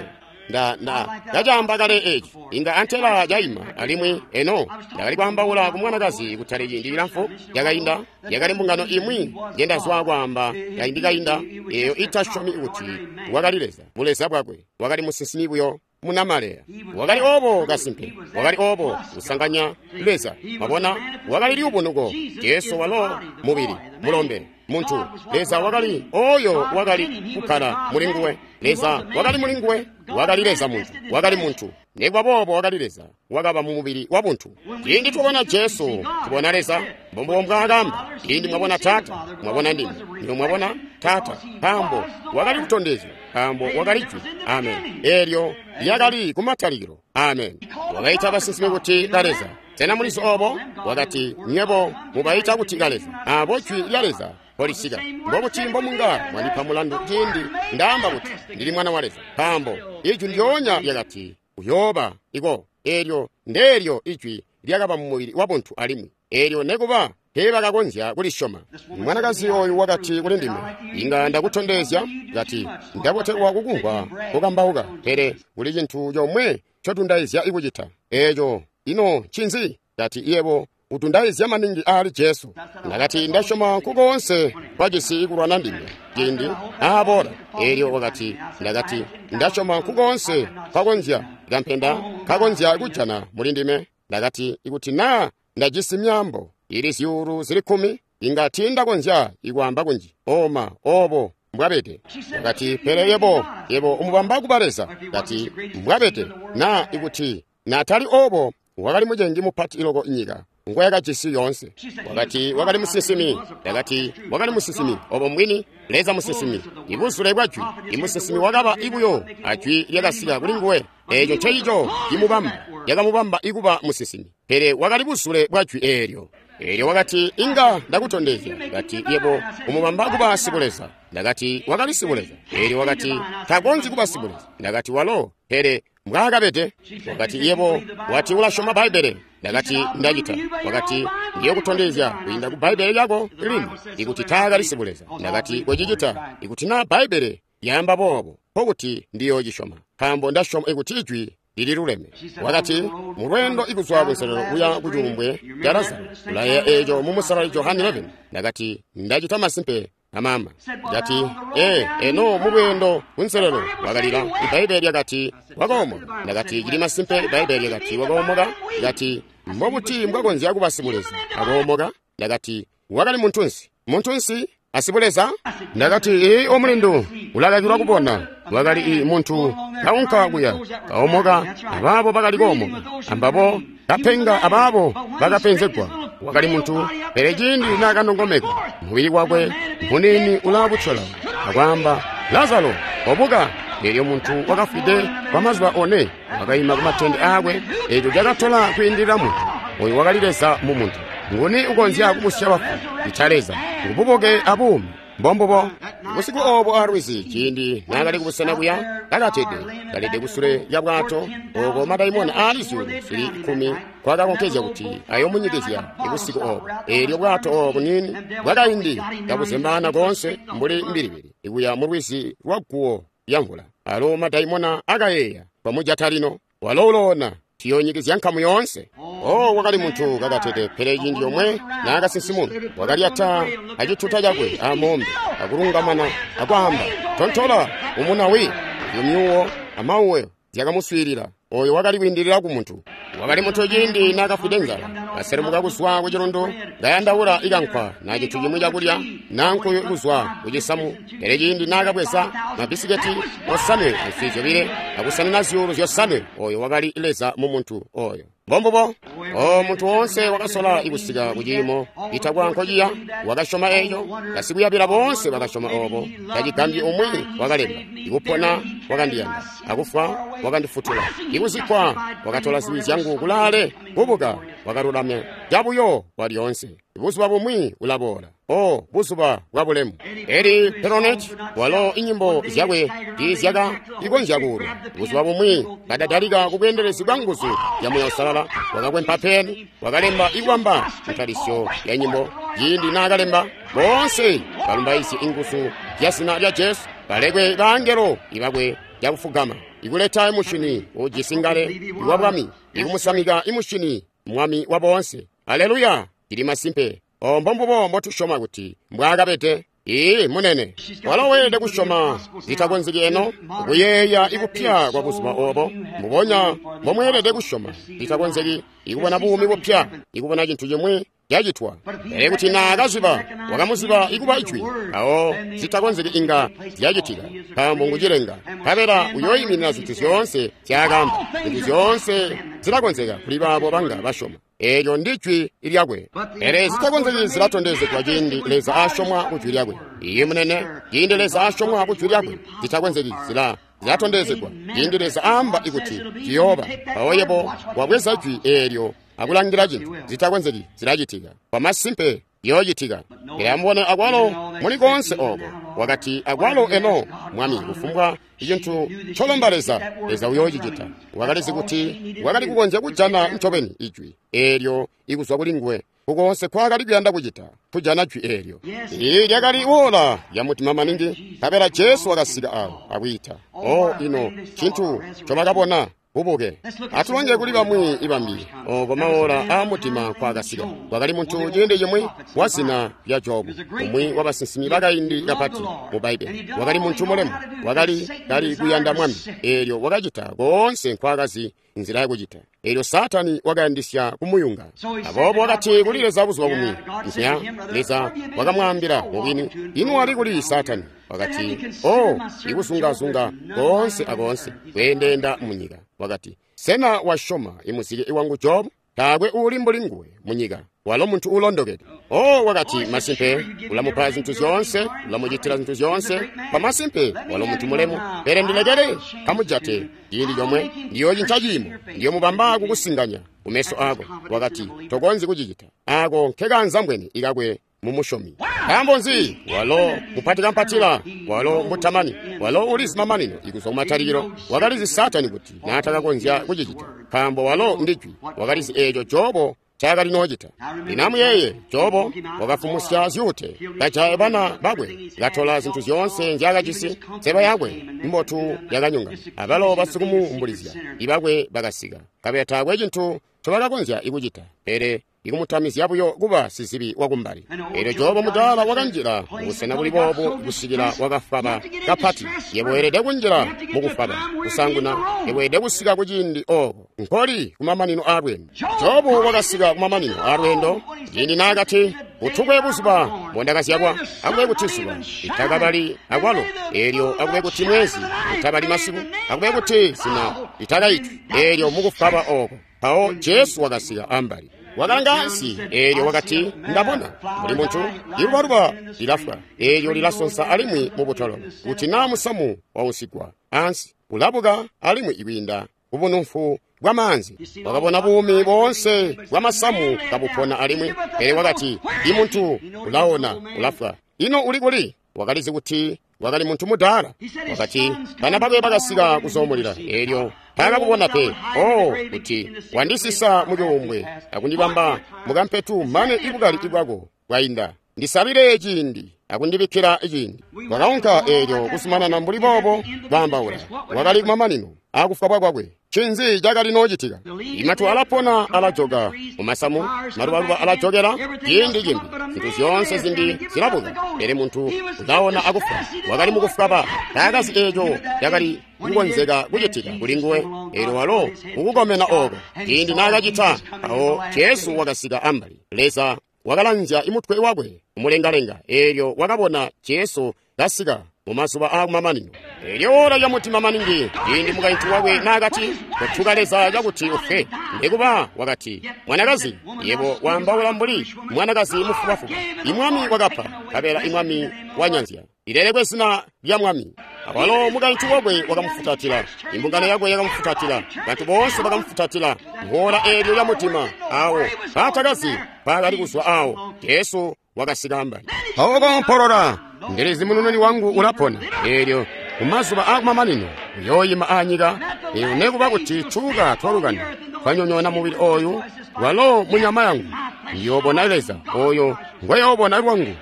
Nda nda ndacaamba kale eeci, inga antela caima. Alimwi eno ndakali kwaambaula ku mwanakazi kutali ciindi cilamfu cakainda. Yakali mbungano imwi njendazwa kwaamba kaindi kainda, eeyo itasyomi kuti wakali Leza, buleza bwakwe wakali musinsimi buyo munamaleya. Wakali obo kasimpe, wakali obo kusanganya Leza. Mwabona, wakali liubunuko. Jesu walo mubili, mulombe, muntu. Leza wakali oyo wakali kukkala muli nguwe. Leza wakali muli nguwe, wakali Leza muntu, wakali muntu. Nikuba boobo wakali Leza, wakaba mu mubili wa buntu. Ciindi tubona Jesu, tubona Leza. Mbombubo mbwaakamba. Ciindi mwabona Taata, mwabona ndime. Lino mwabona Taata, nkaambo wakali kutondezya, nkaambo wakali jwi. Amen. Eelyo lyakali kumatalikilo. Amen. Wakaita basinsimi kuti kaleza. Sena mulizi obo? Wakati, nywebo mubaita kuti kaleza, abo jwi lya Leza polisika. Mbobuti mbomunga mwandipa mulandu ciindi ndaamba kuti ndili Mwana wa Leza? Nkaambo ijwi lyoonya lyakati uyooba iko. Eelyo ndeelyo ijwi lyakaba mu mubili wa buntu alimwi. Eelyo nekuba teebakakonzya kulisyoma. Mwanakazi oyu wakati kuli ndime, inga ndakutondezya, kati ndabotelwa kukumvwa kukambauka, pele kuli cintu comwe ncotundaizya kucita. Eeco ino ncinzi? Kati yebo utundaizya maningi aali Jesu. Ndakati ndasyoma nkukoonse kwacisi kulwana ndime ciindi aaboola. Eelyo wakati, ndakati ndasyoma nkukoonse kwakonzya kampenda kakonzya kujana muli ndime. Ndakati ikuti naa ndajisi myaambo Ili zyuulu zili kkumi, inga tiindakonzya ikwaamba kunji. Oma, obo mbwabede. Wakati, pele yebo, yebo umubamba kuba Leza. Kati, mbwabede, na ikuti natali obo, wakali mucengi mupati iloko nyika ngwe yakajisi yoonse. Wakati, wakali musinsimi. Ndakati, wakali musinsimi. Obo mbwini, Leza musinsimi. Ibuzule bwa jwi. Imusinsimi wakaba ibuyo ajwi lyakasika kuli nguwe. Eeco ncecico cimubamba, lyakamubamba ikuba musinsimi. Pele wakali buzule bwa jwi eelyo. Eelyo wakati, inga ndakutondezya. Kati, yebo umubamba kuba sibuleza. Ndakati, wakali sibuleza. Eelyo wakati, takonzyi kuba sibuleza. Ndakati, walo, pele mbwaakabede. Wakati, yebo wati ulasyoma Bbaibbele. Ndakati, ndacita. Wakati, ndiyokutondezya kwiinda ku Bbaibbele lyako lino ikuti taakali sibuleza. Ndakati, kocicita. Ikuti na Bbaibbele lyaamba boobo, nkokuti ndiyocisyoma, nkaambo ndasyoma ikuti ijwi lililuleme. Wakati, mu lweendo ikuzwa kunselelo kuya ku cuumbwe ca Lazaro, ulayeeya eeco mu Musalali Johane eleven. Ndakati, ndacita masimpe amama. Ndati, ee, eno mu lweendo kunselelo wakalila. Ibbaibbele lyakati wakoomoka. Ndakati, cili masimpe. Ibbaibbele lyakati wakoomoka. Ndakati, mbobuti mbwakonzya kuba sibuleza akoomoka? Ndakati, wakali muntunsi. Muntunsi asibuleza? Ndakati, ee, omulindu ulakakilwa kubona. Wakali i muntu kaunka kuya kaomoka, abaabo bakali koomoka, ambabo kapenga, abaabo bakapenzegwa. Wakali muntu, pele ciindi naakanongomeka mubili wakwe munini ulaabucola akwaamba, Lazaro, obuka. Eelyo muntu wakafwide kwa mazuba one wakaima kumatende aakwe. Eeco cakatola kwiindilila muntu. Oyu wakali Leza mu muntu. Nguni ukonzya kubusya bafu? Ita Leza. Ngububuke abuumi. Mbombubo. Busiku obo alwizi, ciindi naakali kubusena kuya kakatede, kalede kusule lya bwato, oko madaimona aali zyuulu zili kkumi kwakakonkezya kuti ayomunyikizya busiku obo. Eelyo bwato obo buniini bwakaindi kabuzembaana koonse mbuli mbilibili ikuya mu lwizi lwa guwo lya mvula. Alo madaimona akayeeya, twamujata lino, walo uloona, tiyonyikizya nkamu yoonse. Oh, wakali muntu kakatede, pele ciindi yomwe naakasinsimuna, wakalyata acituta cakwe amoombe, akulungamana akwaamba, tontola umunawi. Iyo myuwo amauwe zyakamuswiilila. Oyo wakali kwiindilila ku muntu. Wakali muntu ciindi naakafwide nzala, kaselumuka kuzwa ku cilundu, kayandaula ikankwa na cintu cimwi cakulya na nkuyu kuzwa ku cisamu. Pele ciindi naakabweza mabisiketi osanwe answi zyobile akusanina zyuulu zyosanwe, oyo wakali Leza mu muntu oyo. Mbombubo. O muntu woonse wakasola ikusika ku ciimo itakwa nkociya, wakasyoma eeco. Basikuyabila boonse bakasyoma obo. Tacigambyi umwi wakalemba, ikupona wakandiyanda, akufwa wakandifutula, ikuzikkwa wakatola zibi zyangu kulaale, kubuka wakalulamya cabuyo kwalyoonse. Buzuba bumwi ulaboola. O buzuba bwa bulemu. Eli Peronet walo inyimbo zyakwe tiizyaka ikonzya kuulwa. Buzuba bumwi kadadalika kubweendelezi bwa nguzu ya Muuya Uusalala, wakakwempa peni, wakalemba ikwamba ntalisyo ya nyimbo. Ciindi naakalemba, boonse balumbaizye inguzu zya zina lya Jesu, balekwe baangelo ibakwe cakufugama, ikuleta imushini ujisi ngale iwa bwami, ikumusamika imushini mwami wa boonse. Aleluya! Cili masimpe. O mbombubo mbotusyoma kuti mbwaakabede. Ii munene, walo weelede kusyoma zitakonzeki eno, kuyeeya ikupya kwa buzuba obo. Mbubonya mbomweelede kusyoma zitakonzeki ikubona buumi bupya, ikubona cintu cimwi cacitwa. Pele kuti naakaziba, wakamuziba ikuba ijwi, awo zitakonzeki inga zyacitika, nkaambo ngucilenga. Nkabela uyooyiminina zintu zyoonse zyaakaamba. Zintu zyoonse zilakonzeka kuli baabo banga basyoma. Eelyo ndi jwi lyakwe. Pele zitakonzeki zilatondezegwa ciindi Leza asyomwa ku jwi lyakwe. Iye munene, ciindi Leza asyomwa ku jwi lyakwe, zitakonzeki zila zilatondezegwa. Ciindi Leza aamba ikuti ciyooba, mpawo yebo wabweza jwi eelyo akulangila cintu, zitakonzeki zilacitika. Kwamasimpe yoocitika. Pele amubone akwalo muli koonse oko. Wakati akwalo eno, Mwami, kufumbwa icintu ncolomba Leza, Leza uyoocicita. Wakalizi kuti wakali kukonzya kujana ncobeni ijwi eelyo ikuzwa kuli nguwe. Kukoonse kwakali kuyanda kucita, kujana jwi eelyo. Ii lyakali ola lya mutima maningi, nkabela Jesu wakasika awo akwiita. O ino cintu ncobakabona. bubuke. Atulonje kuli bamwi ibambi oko maola aamutima nkwaakasika. Kwakali muntu ciindi cimwi wa zina lya Jobu, umwi wa basinsimi bakaindi kapati mu Bbaibbele. Wakali muntu mulemu, wakali kali kuyanda Mwami, eelyo wakacita koonse nkwaakazi nzila yakucita. Eelyo Saatani wakayandisya kumuyunga. Aboobo wakati kuli Leza buzuba bumwi, Nzya, Leza wakamwaambila mubwini, ino wali kuli Saatani? Wakati, oh, ikuzungazunga koonse akoonse, kweendeenda munyika. Wakati, sena wasyoma imuzike wangu Jobu? Taakwe uuli mbuli nguwe munyika, walo muntu uulondokede. Oh, wakati, masimpe ulamupa zintu zyoonse, ulamucitila zintu zyoonse. Pamasimpe walo muntu mulemu, pele ndilekele kamujate ciindi comwe, ndiyocinca ciimo, ndiyomubamba kukusinganya kumeso ako. Wakati, tokonzyi kucicita. Ako nkekanzambweni ikakwe mumusyomi. Nkaambo nzi? Walo mupatikampatila, walo mutamani, walo ulizi mamanino ikuzwa kumatalikilo. Wakalizi Saatani kuti naatakakonzya kucicita, nkaambo walo ndijwi. Wakalizi eeco Jobo ncaakali noocita. Lino amuyeeye, Jobo wakafumusya zyuute, kajaya bana bakwe, katola zintu zyoonse nzyaakajisi. Nseba yakwe mbotu yakanyonga, abalo basikumuumbulizya ibakwe bakasika, nkabela taakwe cintu ncobakakonzya kucita, pele ikumutamizya buyo kuba sizibi wakumbali. Eelyo Jobo mudaala wakanjila mubusena buli boobu kusikila wakafwaba kapati. Yebo weelede kunjila mukufwaba kusanguna, yebo weelede kusika kuciindi ooko nkoli kumamanino aalweendo. Jobu wakasika kumamanino aalweendo ciindi naakati, utukwe buzuba mbondakazyalwa, akube kuti zuba litakabali akwalo, eelyo akube kuti mwezi utabali masiku, akube kuti zina litakaitwi. Eelyo mukufwaba ooko mpawo Jesu wakasika ambali. Wakalanga ansi, eelyo wakati, ndabona mbuli muntu, ilubaluba lilafwa, eelyo lilasonsa alimwi mubutolo. Kuti naa musamu waunsigwa ansi, ulabuka alimwi ikwiinda kubunumfu bwa maanzi. Wakabona buumi boonse bwa masamu kabupona alimwi, pele wakati, imuntu ulaona, ulafwa. Ino uli kuli? Wakalizi kuti wakali muntu mudaala. Wakati, bana bakwe bakasika kuzoomulila, eelyo taakakubona pe. Oh, kuti wandisisa mucuumbwe akundibamba mukampetu mane ibukali bwako bwainda. Ndisabile ciindi akundibikkila ciindi. Wakaunka eelyo kuzumanana mbuli boobo baambaula. Wakali kumamanino akufwa kwakwe. Ncinzi cakali noocitika? Imatu alapona alajoka mumasamu, malubaluba alajokela ciindi cimbi, zintu zyoonse zimbi zilabuka, pele muntu ulaona akufwa. Wakali mukufwaba, taakazi eeco cakali kukonzeka kucitika kuli nguwe. Eelyo walo mukukomena ooko ciindi naakacita, mpawo Jesu wakasika ambali. Leza wakalanzya imutwe wakwe umulengalenga, eelyo wakabona Jesu kasika mumazuba aakumamanino. Eelyo ola lyamutima maningi ciindi mukaintu wakwe naakati, kotuka Leza cakuti ufe. Nekuba wakati, mwanakazi, yebo waambaula mbuli mwanakazi mufubafuba. Imwami wakapa, nkabela imwami wanyanzya. Lilelekwe zina lya Mwami. Awalo mukaintu wakwe wakamufutatila, imbungano yakwe yakamufutatila, bantu boonse bakamufutatila. Ngoola eelyo lyamutima awo baatakazi baakali kuzwa awo, Jesu wakasika ambali. Mpawo koompolola, ndilizi munununi wangu ulapona. Eelyo mumazuba aakumamanino uyooyima aanyika, eelyo nekuba kuti tuuka twalukanda twanyonyoona mubili ooyu, walo munyama yangu ndiyoobona Leza ooyo ngweyoobona lwangu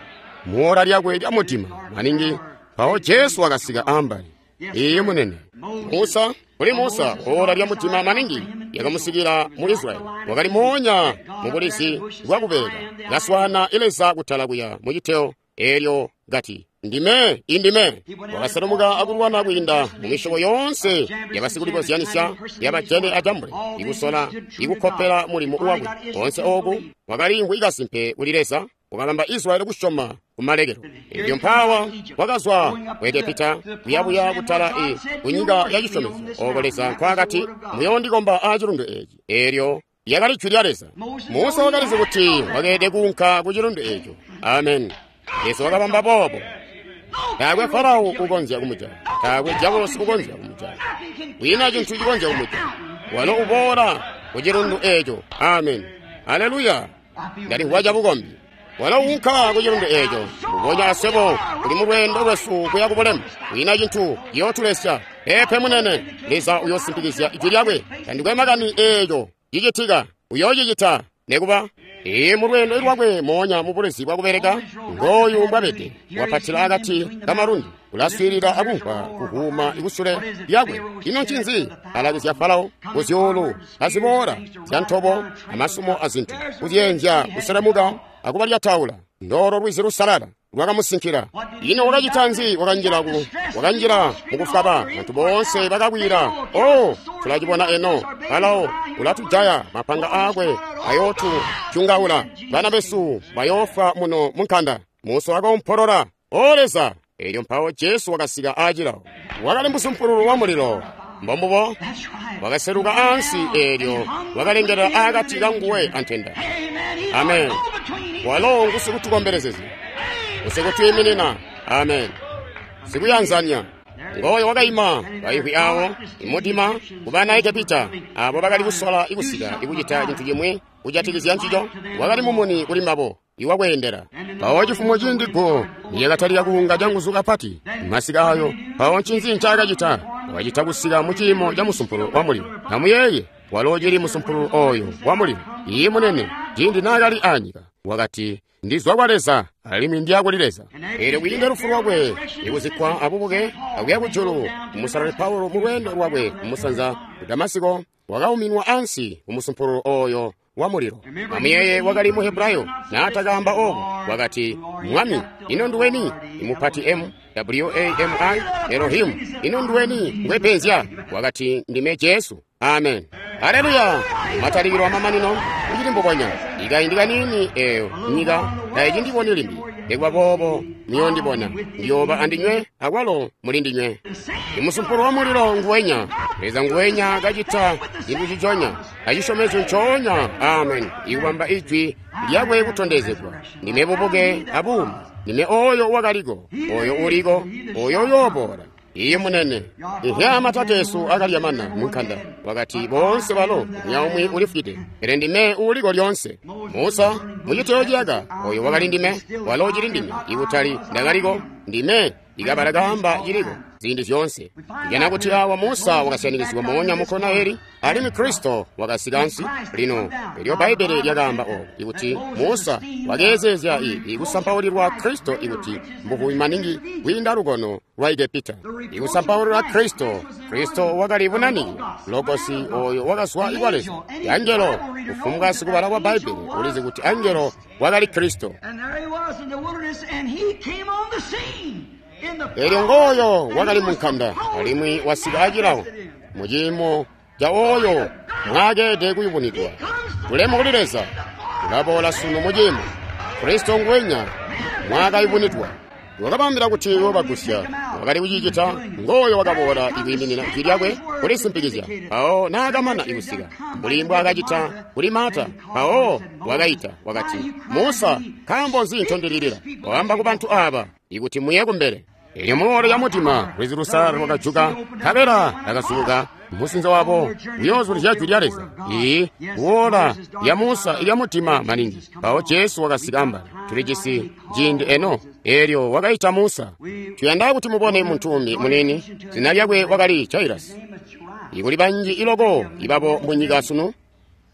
muola lyakwe lya mutima maningi. Mpawo Jesu wakasika ambali. Iye munene. Musa, kuli Musa, ola lya mutima maningi yakamusikila mu Israeli. Wakali moonya mu bulizi bwakubeka, kaswaana Leza kutala kuya mu citeo, eelyo kati, ndime indime. Wakaselumuka akulwana kwiinda mu misyobo yoonse yabasikulikozyanisya yabajene ajambule, ikusola ikukkopela mulimo wakwe. Koonse ooku wakaliimvwi kasimpe kuli Leza, wakabamba Israeli kusyoma kumalekelo. Elyo mpawa wakazwa ku Egepita kuyabuya kutala e kunyika ya cisyomezyo, ooko Leza nkwaakati, muyoondikomba aacilundu eeci. Eelyo lyakali jwi lya Leza. Musa wakalizi kuti wakeelede kuunka ku cilundu eeco. Amen. Leza wakabamba boobo. Taakwe Farao ukonzya kumujaya, taakwe Diabolosi ukonzya kumujaya, kwiina cintu cikonzya kumujaya. Walo uboola ku cilundu eeco. Amen. Aleluya. Ndalimvwa cabukombi. Walo uunka ku cilundu eeco, mbubonya aswebo tuli mu lweendo lwesu kuya ku bulemu. Kwiina cintu ciyootulesya. Peepe munene, Leza uyoosimpikizya ijwi lyakwe. Tandikwe makani eeco cicitika, uyoocicita nekuba. Ee, mu lweendo lwakwe moonya mu bulezi bwakubeleka, ngooyu mbwabede, wapatila akati kamalundu, ulaswiilila akumvwa kuhuuma kusule lyakwe. Ino ncinzi? Alakizya Farao kuzyuulu aziboola zyantobo amasumo azintu, kuzyeenzya kuselemuka akubalyataula. Ndoolo lwizi lusalala lwakamusinkila. Ino wakacita nzi? Wakanjila ku wakanjila mukufwaba. Bantu boonse bakakwila, "Oh, tulacibona eno! Farao ulatujaya, mapanga aakwe ayootutyungaula, bana besu bayoofwa muno munkanda." Musa wakoompolola, "O Leza!" Elyo mpawo Jesu wakasika aacilawo. Wakali musumpululu wa mulilo. Mbombubo wakaseluka ansi, eelyo wakalengelela aakati kanguwe antenda. Amen. Walo ngusikutukombelezezya, ngusikutwiiminina. Amen. Sikuyanzanya. Ngoyo wakaima baihwi awo imudima kubana Egepita abo bakali kusola ikusika ikucita cintu cimwi kujatikizya ncico. Wakali mumuni kuli mbabo iwakweendela. Mpawo cifumo cindi guwo lyakatalika kuunga canguzu kapati masika ayo. Mpawo ncinzi ncaakacita? Wakacita kusika mu ciimo ca musumpulu wa mulilo. Amuyeeye, walo cili musumpulu oyo wa mulilo. Iye munene, ciindi naakali anyika wakati, "Ndizwa kwa Leza alimwi ndiya kuli Leza." Eelyo kwiinda lufu lwakwe ikuzikkwa abubuke akuya kujulu, Musalali Paulo mu lweendo lwakwe kumusanza ku Damasiko wakauminwa ansi kumusumpululu oyo wa mulilo. Amuyeeye, wakali mu Hebrayo naatakaamba obo, wakati, "Mwami, ino nduweni?" Imupati M W A M I Elohimu, ino nduweni ngwepenzya? Wakati, "Ndime Jesu." Amen. Haleluya! Matalikilo amamanino kucili mbubonya. Ikaindi kaniini eyo nyika tayicindiboni limbi, nikuba boobo muyondibona. Ndiyooba andinywe akwalo mulindinywe. Imusumpulu wa mulilo nguwenya, Leza nguwenya kacita cintu ciconya, acisyomezyo ncoonya. Amen. Ikubamba ijwi lyakwe kutondezegwa. Ndime bubuke abuumi. Ndime oyo wakaliko, oyo uliko, oyo uyooboola. Iye munene. Ihya matateesu akalya mana munkanda. Wakati boonse balo umwi ulifwide, pele ndime uuliko lyoonse. Musa muciteyo ciyaka, oyo wakali ndime, walo cili ndime, ikutali ndakaliko, ndime ikabala kaamba ciliko ziindi zyoonse. Njana kuti awa Musa wakasyanikizigwa moonya mu kona eli, alimwi Kristo wakasika ansi. Lino elyo Bbaibbele lyakaamba obo, ikuti Musa wakeezeezya ikusampaulilwa Kristo ikuti mbuvubi maningi kwiinda lukono lwa Egepita. Ikusampaulilwa Kristo, Kristo wakali bunanike, Logosi oyo wakazwa ikwa Leza. Angelo, kufumbwa sikubala kwa Bbaibbele ulizi kuti angelo wakali Kristo. Elyo ngooyo wakali munkanda, alimwi wasika acilawo muciimo ca oyo mwaakede kuyubunidwa. Bulemu kuli Leza, ulaboola sunu muciimo Kristo nguwenya mwaakayubunidwa. Wakabambila kuti wobagusya, wakali kucicita. Ngooyo wakaboola ikwiiminina ijwi lyakwe kulisimpikizya. Mpawo naakamana ikusika mbuli mbwaakacita kuli Marta, mpawo wakaita wakati, "Musa, nkaambo nzi ncondililila? Waamba ku bantu aba ikuti muye kumbele." Elyo muloolo ya mutima lwizi lusalala lwakajuka, nkabela lakazubuka musinzo wabo uyoozulizya jwi lya Leza. Iyi kuola lya Musa ilya mutima maningi. Mpawo Jesu wakasika ambali. Tulijisi ciindi eno. Elyo wakaita Musa. Tuyanda kuti mubone muntu umbi munini, zina lyakwe wakali Jairasi. Ikuli banji iloko ibabo munyika sunu.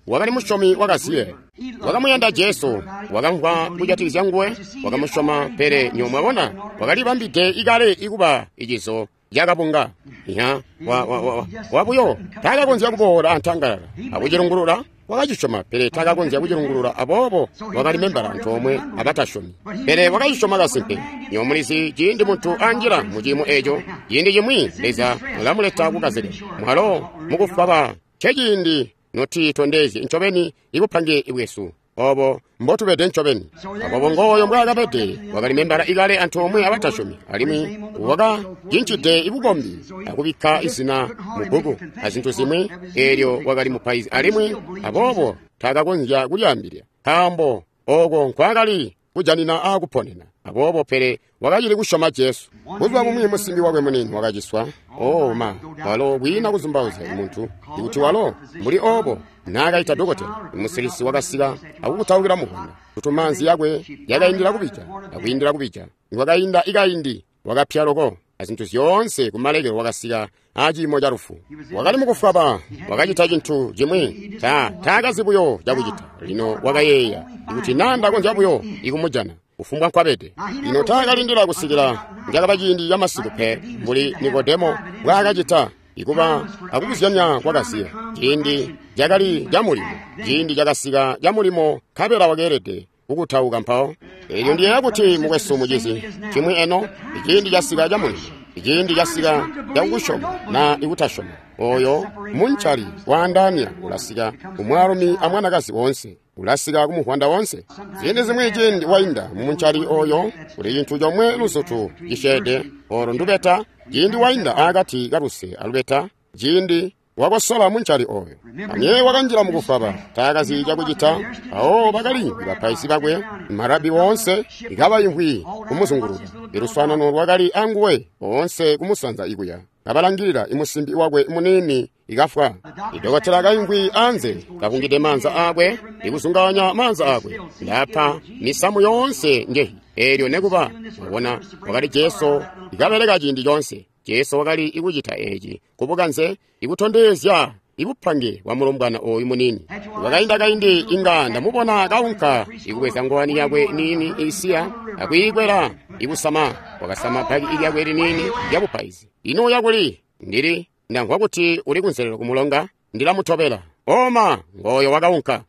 Wakali musyomi wakaziye, wakamuyanda Jesu, wakamvwa kujatikizya nguwe, wakamusyoma. Pele nyo mwabona, wakalibambide ikale ikuba icizo cakabunga. Ya wa wa wa wabuyo takakonzya kuboola antangalala akucilungulula. Wakacisyoma, pele takakonzya kucilungulula, aboobo wakali membala antoomwe abatasyomi. Pele wakacisyoma kasimpe. Nyo mulizi, ciindi muntu anjila mu ciimo eco, ciindi cimwi Leza ulamuleta kukazike mwalo mukufwaba. Ceciindi notitondezye ncobeni ibupange bwesu obo mbotubede ncobeni. Aboobo ngooyo mbwaakabede, wakali membala ikale antoomwe abatasyomi, alimwi wakacincide ibukombi akubikka izina mu bbuku azintu zimwi. Eelyo wakali mupaizi, alimwi aboobo takakonzya kulyaambilya nkaambo oko nkwaakali kujanina aakuponena. Aboobo pele wakacili kusyoma Jesu. Buzuba bumwi musimbi wakwe munini wakaciswa. Oh ma, walo kwiina kuzumbauzya muntu ikuti walo mbuli obo naakaita dokotela. Musilisi wakasika akukutaukila muvwanda kuti maanzi yakwe yakaindila kubija akwiindila kubija. Nikwakainda ikaindi wakapya loko. azintu zyoonse, kumalekelo wakasika aciimo ca lufu. Wakali mukufwaba, wakacita cintu cimwi, ta taakazi buyo cakucita. Lino wakayeeya, ikuti naa ndakonzya buyo ikumujana, kufumbwa nkwabede. Lino taakalindila kusikila cakaba ciindi ca masiku pe, mbuli Nikodemo mbwaakacita, ikuba akubuzyanya kwakaziya. Ciindi cakali ca mulimo, ciindi cakasika ca mulimo, nkabela wakeelede kukutauka mpawo. Elyo ndiyeeya kuti mukwesu mucizi cimwi eno, iciindi casika ca mulimo, iciindi casika ca kukusyoma na ikutasyoma. Oyo muncali waandaanya ulasika kumwaalumi amwanakazi woonse, ulasika kumuvwanda wonse. Ziindi zimwi ciindi wainda mumuncali oyo, kuli cintu comwe luzutu cisyeede, olo ndubeta. Ciindi wainda akati kaluse alubeta, ciindi wakosola muncali oyo. Amye wakanjila mukufwaba, taakazi cakucita. Awo bakali bapaizi bakwe, marabi woonse, ikabayimvwi kumuzunguluka. Iluswaanano lwakali anguwe oonse kumusanza ikuya, kabalangilila imusimbi wakwe muniini ikafwa. Idokotela kayimvwi anze, kakungide maanza akwe, ikuzunganya maanza akwe, ndapa misamu yoonse njehi. Elyo nekuba mwabona, wakali Jesu ikabeleka ciindi coonse. Jesu wakali ikucita eci kubukanze, ikutondezya ibupange bwa mulombwana oyu munini. Wakainda kaindi inga ndamubona kaunka ikubweza ngowani yakwe nini isiya akwiikwela ikusama. Wakasama bhaki lyakwe linini lya bupaizi. Ino yakuli ndili ndamvwa kuti uli kunselelo kumulonga, ndilamutobela. Oma ngoyo wakaunka.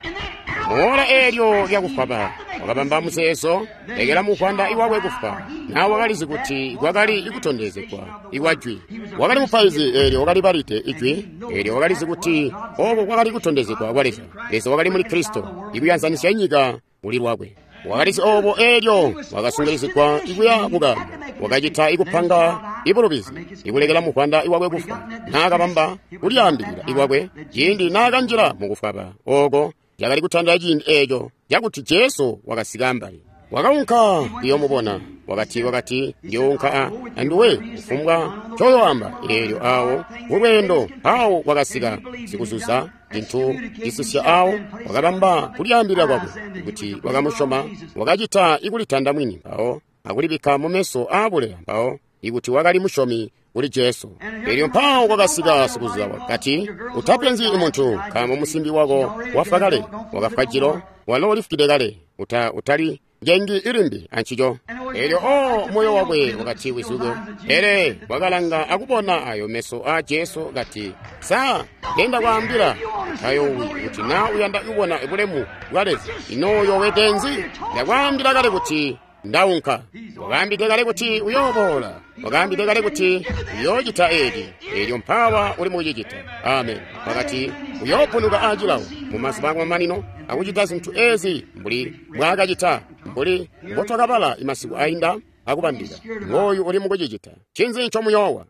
Moola elyo lyakufwaba wakabamba muzeezo, lekela muvwanda iwakwe kufwa. Nawe wakalizi kuti kwakali ikutondezegwa ikwa jwi. Wakali mupaizi, elyo wakali balide ijwi, elyo wakalizi kuti oko kwakali kutondezegwa kwa Leza. Leza wakali muli Kristo, ikuyanzanisya nyika muli lwakwe. Wakalizi obo, elyo wakasungirizigwa ikuya kukaambo. Wakacita ikupanga ibulubizi, ikulekela muvwanda iwakwe kufwa. Naakabamba kulyaambilila ikwakwe ciindi naakanjila mukufwaba oko cakali kutandila ciindi eco cakuti Jesu wakasika ambali. Wakaunka kuyomubona, wakati wakati ndiunka anduwe kufumbwa ncoyoamba. Elyo awo mulweendo awo wakasika sikuzuza cintu cisisya awo, wakabamba kulyaambilila kwakwe kuti wakamusyoma. Wakacita ikulitanda mwini mpawo akulibikka mumeso aabuleya mpawo ikuti wakali musyomi kuli Jesu. Elyo mpawo kwakasika sikuzuza wakati, utapenzyi muntu, nkaambo musimbi wako wafwa kale, wakafwa jilo, walo ulifukide kale, uta utali njengi ilimbi ancico. Elyo o moyo wakwe wakati wizuke. Pele wakalanga akubona ayo meso a Jesu kati, sa genda kwaambila utayowi kuti na uyanda kubona bulemu bwa Leza, ino yowetenzi? Ndakwaambila kale kuti ndaunka. Wakaambide kale kuti uyoboola. Wakaambide kale kuti uyoocita eci. Elyo mpawa uli mukucicita. Amen. Wakati uyoopunuka aacilawo mumazuba akumamanino akucita zintu ezi mbuli mbwaakacita, mbuli mbotwakabala imasiku ainda akubandika. Ngooyu uli mukucicita. Ncinzi ncomuyoowa?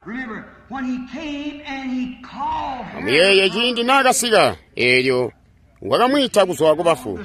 Amuyeeye ciindi naakasika, elyo wakamwiita kuzwa kubafu.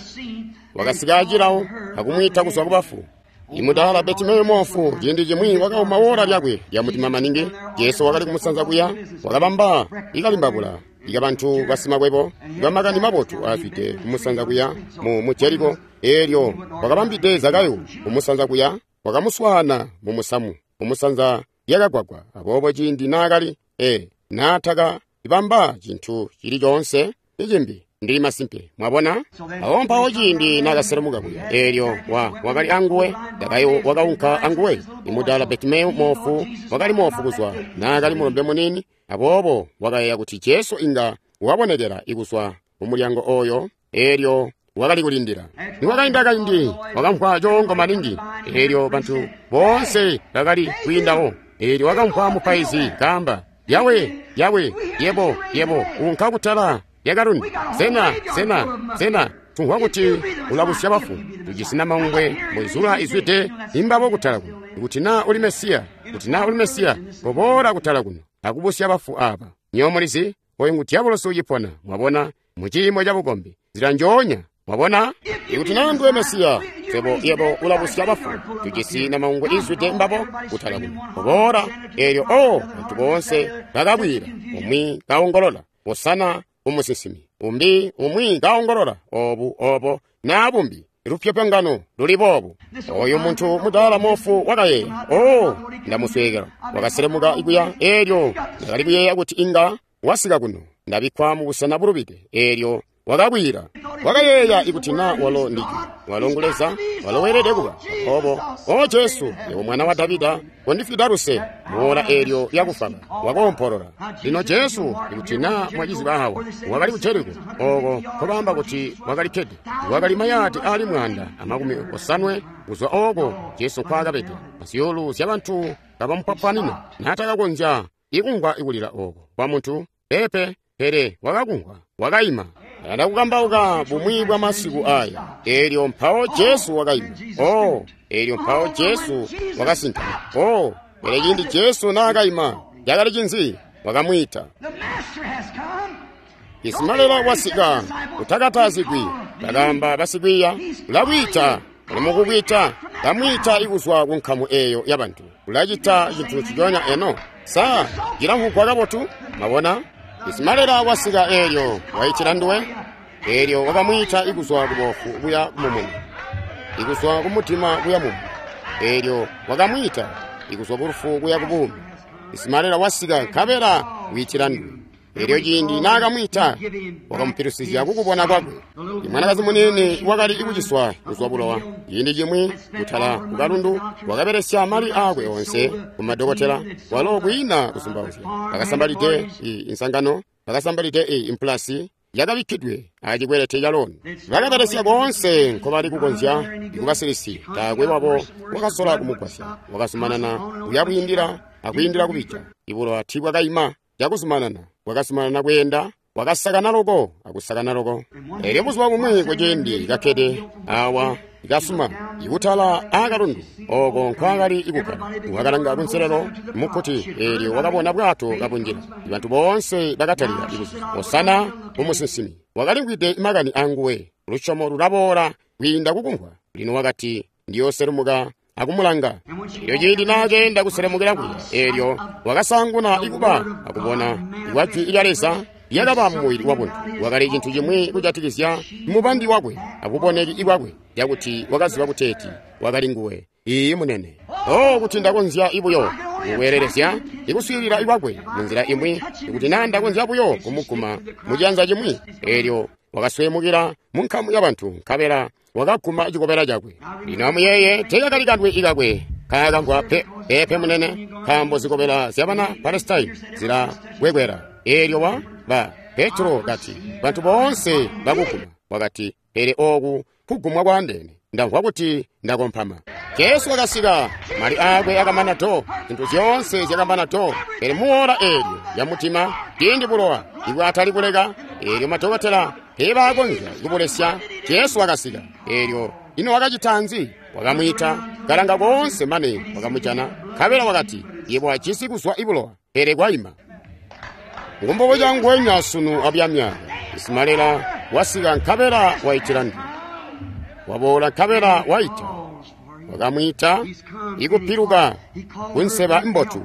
Wakasika acilawo akumwiita kuzwa kubafu. Imudala Betimeyo moofu ciindi cimwi wakauma wola lyakwe lya mutima maningi. Jesu wakali kumusanza kuya, wakabamba ikalimbabula ikabantu basimakwebo bamakani mabotu aafwide kumusanza kuya mu, mu Jeriko. Elyo wakabambide Zakayu kumusanza kuya, wakamuswaana mu musamu kumusanza lyakagwagwa. Aboobo ciindi naakali e naataka ibamba cintu cili coonse icimbi, ndili masimpe mwabona. Awo mpawo ciindi naakaselemuka kuya, elyo wa wakali anguwe. Zakayu wakaunka anguwe. Imudala Betimeyo moofu wakali moofu kuzwa naakali mulombe munini. Aboobo wakayeeya kuti Jesu inga wabonekela ikuzwa mumulyango oyo, elyo wakali kulindila. Nikwakainda kaindi wakamvwa coongo maningi, elyo bantu boonse bakali kwiindawo. Elyo wakamvwa mupaizi kaamba, Yawe, Yawe, yebo, yebo, unka kutala lyakalundu. Sena, sena, sena, tumvwa kuti ulabusya bafu. Tujisi namangwe mbwizula izwide imbabo kutala kuno. Kuti naa uli Mesiya, kuti naa uli Mesiya, koboola kutala kuno akubusya bafu aba. Nyowe mulizi, oyu ngu diabolosi ucipona, mwabona, mu ciimo cabukombi, nzila njoonya, mwabona? Ikuti naa nduwe Mesiya, swebo yebo ulabusya bafu. Tujisi namangwe izwide mbabo kutala kuno. Koboola. Elyo o bantu boonse bakabwira, umwi kaongolola, Hosana umusinsimi, umbi umwi kaongolola, obu obo naa bumbi. lupyopyongano luli boobu. Oyu muntu mudaala moofu wakayeeya, oh, ndamusweekela. Wakaselemuka kuya, eelyo ndakali kuyeeya kuti inga wasika kuno. Ndabikkwa mu busena bulubide. Eelyo wakakwiila. Wakayeeya ikuti na walo ndijwi, walo ngu Leza, walo weelede kuba. Obo, o Jesu, yebo mwana wa Davida, kondifwida luse. Muola eelyo lyakufaba, wakoompolola. Lino Jesu, ikuti na mwaciziba awa, wakali ku Jeriko, oko nkobaamba kuti wakali kkede. Wakali mayaadi aali mwaanda amakumi osanwe kuzwa oko Jesu nkwaakabede. Zyuulu zya bantu kabamupwapwanina, naatakakonzya ikumvwa ikulila oko kwa muntu pepe, pele wakakumvwa, wakaima. Ayanda kukambauka bumwi bwa masiku aya. Eelyo mpawo Jesu wakaima. Oh, eelyo mpawo Jesu wakasinka. Oh, pele ciindi Jesu naakaima, cakali cinzi? Wakamwiita. Isimalela wasika, utakatazigwi. Bakaamba basikwiiya, ulakwiita, uli mukukwiita. Kamwiita ikuzwa ku nkamu eyo y'abantu. Ulacita cintu nciconya eno. Sa cilamvwugwa kabotu? Mabona? Isimalela wasika eelyo waitila nduwe. Eelyo wakamwiita ikuzwa kubofu kuya kumumuni, ikuzwa kumutima kuya mumu. Eelyo wakamwiita ikuzwa kulufu kuya kubuumi. Isimalela wasika nkabela wiitila nduwe. Eelyo ciindi naakamwiita wakamupilusizya kukubona kwakwe. Imwanakazi muniini wakali ikuciswa kuzwa bulowa. Ciindi cimwi kutala kukalundu wakabelesya mali aakwe onse kumadokotela, walo kwiina kuzumbauzya. Bakasambalide insangano, bakasambalide impulasi yakabikkidwe acikwelete caloni. Bakabelesya koonse nkobali kukonzya ikubasilisi, taakwe wabo wakasola kumugwasya. Wakazumanana kuya bwiindila akwiindila kubija. Ibulowa tiibwakaima cakuzumanana, bwakazumanana kweenda, wakasakana loko akusakana loko. Eelyo buzuba bumwi kuciindi kakkede awa ikasuma ikutala aakalundu oko nkwaakali ikukkala, wakalanga kunselelo mukkuti, eelyo wakabona bwato kabunjila. Bantu boonse bakatalika ikuzuza, Hosana kumusinsimi. Wakalimvwide makani anguwe. Lusyomo lulaboola kwiinda kukumvwa. Lino wakati, ndiyooselumuka akumulanga. Eelyo ciindi naakeenda kuselemukila kuya, eelyo wakasaanguna ikuba akubona ikwa jwi lya Leza lyakaba mumubili wabuntu. Wakali cintu cimwi kujatikizya mubandi wakwe akuboneki kwakwe, cakuti wakaziba kuteeti wakali nguwe. Iiyi munene. Oh, kuti ndakonzya ibuyo kukweelelezya ikuswiilila ikwakwe munzila imwi, ikuti naa ndakonzya buyo kumuguma mucianza cimwi. Eelyo wakaswemukila munkamu y'abantu, nkabela wakaguma cikobela cakwe. Lino amuyeeye, teekakali kanwe ikakwe kaakamvwa pe, pepe munene, nkaambo zikobela zyabana Palestine zilakwekwela. Eelyo wa ba Petro kati, bantu boonse bakuguma. Wakati, pele ooku kugumwa kwaandeene, ndamvwa kuti ndakompama. Jesu wakasika, mali aakwe akamana to, zintu zyoonse zyakamana to. Pele muola eelyo lya mutima, ciindi bulowa ibwatali kuleka, eelyo madokotela teebaakonzya kubulesya, Jesu wakasika. Eelyo ino wakacita nzi? Wakamwiita, kalanga koonse mane wakamujana, nkabela wakati, yebo wajisi kuzwa ibulowa, pele kwaima. Ngumbobo cangwenya sunu abyamyaka. Isimalela wasika nkabela waitila ndu. Waboola nkabela waita. Wakamwiita ikupiluka kunseba mbotu.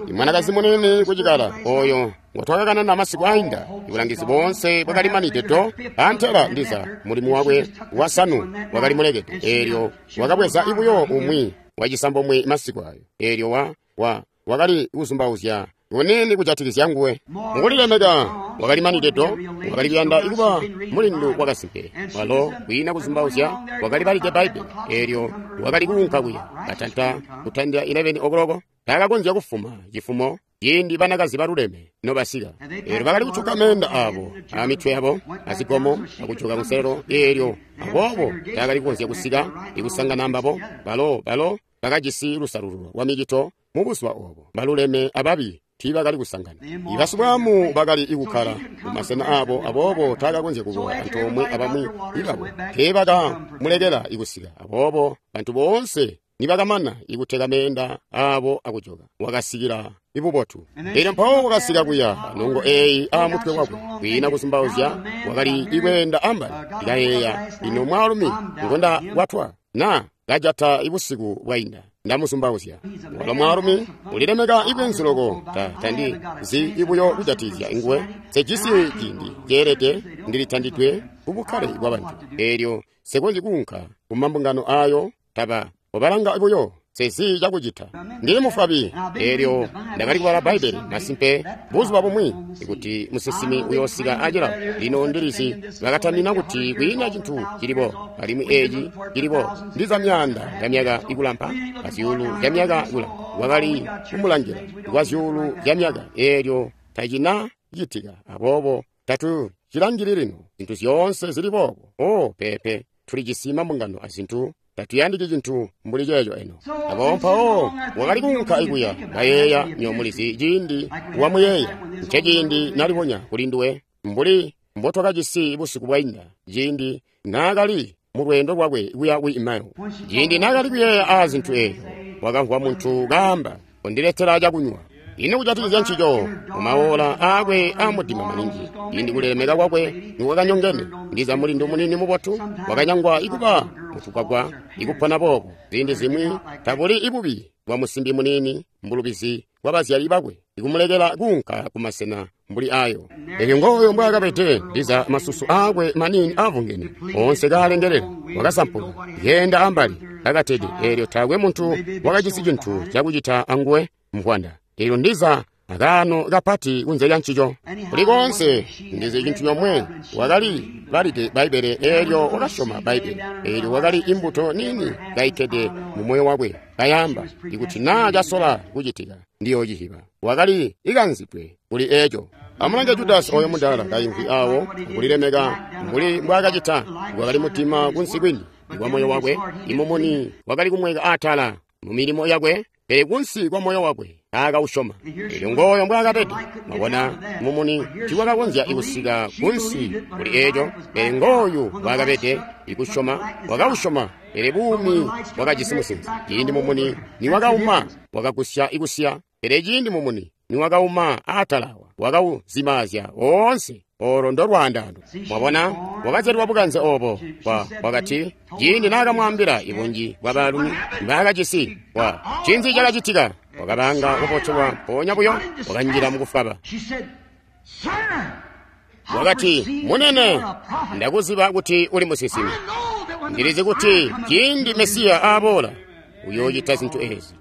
Imwanakazi munini kucikala oyo ngotwakakanana masiku ainda, ibulangizi boonse bwakalimanide do, antela ndiza mulimu wakwe wasanu wakali mulekede. Eelyo wakabweza ibuyo umwi wacisambomwe masiku ayo. Eelyo wa wa wakali kuzumbauzya kunini kujatikizya nguwe. Mukulilemeka wakalimanide do, wakali kuyanda ikuba mulindu wakasimpe. Walo kwiina kuzumbauzya wakali balide Bbaibbele. Eelyo wakali kuunka kuya katanta kutandila eleven o'clock, taakakonzya kufuma cifumo ciindi banakazi baluleme nobasika. Eelyo bakali kucuka meenda abo amitwe yabo azigomo akucuka kunselelo. Eelyo aboobo taakali kukonzya kusika ikusangana ambabo. Balo balo bakajisi lusalululo lwa micito mubuzuba obo. Baluleme ababi tiibakali kusangana. Ibasibwamu bakali ikukkala mumasena abo, aboobo taakakonzya kuboola antoomwe abamwi ibabo. Teebakamulekela ikusika. Aboobo bantu boonse nibakamana ikuteka meenda abo akujoka, wakasikila ibubotu. Eelyo mpawo wakasika kuya nongo eeyi aamutwe wakwe, kwiina kuzumbauzya wakali ikweenda ambali. Ndikayeeya, ino mwaalumi ngonda kwatwa na kajata ibusiku bwainda, ndamuzumbauzya. Walo mwaalumi ulilemeka ibwenzu loko, ta tandi zi ibuyo kujatikizya nguwe. Sejisi ciindi ceelede ndilitandidwe kubukkale bwabantu. Eelyo Nse konzyi kuunka ku mambungano ayo, taba obalanga buyo, sezi cakucita. Ndili mufwabi. Elyo ndakali kubala Bbaibbele, masimpe, buzuba bumwi, kuti musinsimi uyoosika acilao. Lino ndilizi bakatamina kuti kwiina cintu cilibo, alimwi eci cilibo. Ndiza myaanda ya myaka ikulampa, azyuulu zya myaka kulampa. Wakali kumulangila kwa zyuulu zya myaka, elyo tacina citika. Aboobo tatu cilangili lino zintu zyoonse zili boobo. Oh, pepe, tulijisi mambungano azintu. Tatuyandiki cintu mbuli ceeco eno. Aboobo mpawo wakali kuunka ikuya, kayeeya, nyomulizi ciindi wamuyeeya. Nce ciindi nalibonya kuli nduwe, mbuli mbotwakajisi busiku bwainda, ciindi naakali mu lweendo lwakwe kuya ku Emau. Ciindi naakali kuyeeya aa zintu eeyo, wakamvwa muntu kaamba, "Kondiletela cakunywa." Ino kujatikizya ncico mumaola aakwe aamudima maningi, ciindi kulilemeka kwakwe nikwakanyongene, ndiza mulindu munini mubotu wakanyangwa ikuba mutukwakwa ikupona boobo. Ziindi zimwi tabuli ibubi bwa musimbi munini mbulubizi bwa bazyali bakwe ikumulekela kuunka kumasena mbuli ayo. Elyo ngooyo mbwaakabede, ndiza masusu aakwe manini aavungene oonse kaalengelela, wakasampuka yeenda ambali kakatede. Elyo taakwe muntu wakajisi cintu cakucita anguwe mvwanda. Elyo ndiza akaano kapati kunze lya ncico. Kuli koonse ndizi cintu comwe, wakali balide Bbaibbele, elyo wakasyoma Bbaibbele. Elyo wakali imbuto nini kaikkede mu moyo wakwe, kayamba, ikuti naa casola kucitika, ndiyoociziba. Wakali ikanzidwe kuli eco. Amulange Judasi oyo mudaala kaimvwi awo, kulilemeka mbuli mbwaakacita. Wakali mudima kunsi kwini kwa moyo wakwe, imumuni wakali kumweka atala mu milimo yakwe, pele kunsi kwa moyo wakwe taakausyoma. Elyo ngooyo mbwaakabede. Mwabona, mumuni tiwakakonzya ikusika kunsi kuli eco, pele ngooyu mbwaakabede ikusyoma, wakausyoma, pele buumi bwakajisi musinzi. Ciindi mumuni niwakauma, wakagusya ikusiya, pele ciindi mumuni niwakauma atalawa, wakauzimaazya oonse. Olo ndo lwaandano. Mwabona, wakazyalwa bukanze obo. Wakati ciindi naakamwaambila ibunji bwa baalumi mbaakajisi, wa cinzi cakacitika? Wakabanga kubotelwa mpoonya buyo, wakanjila mukufwaba. Wakati, "Munene, ndakuziba kuti uli musinsimi. Ndilizi kuti ciindi Mesiya aaboola uyoocita zintu ezi."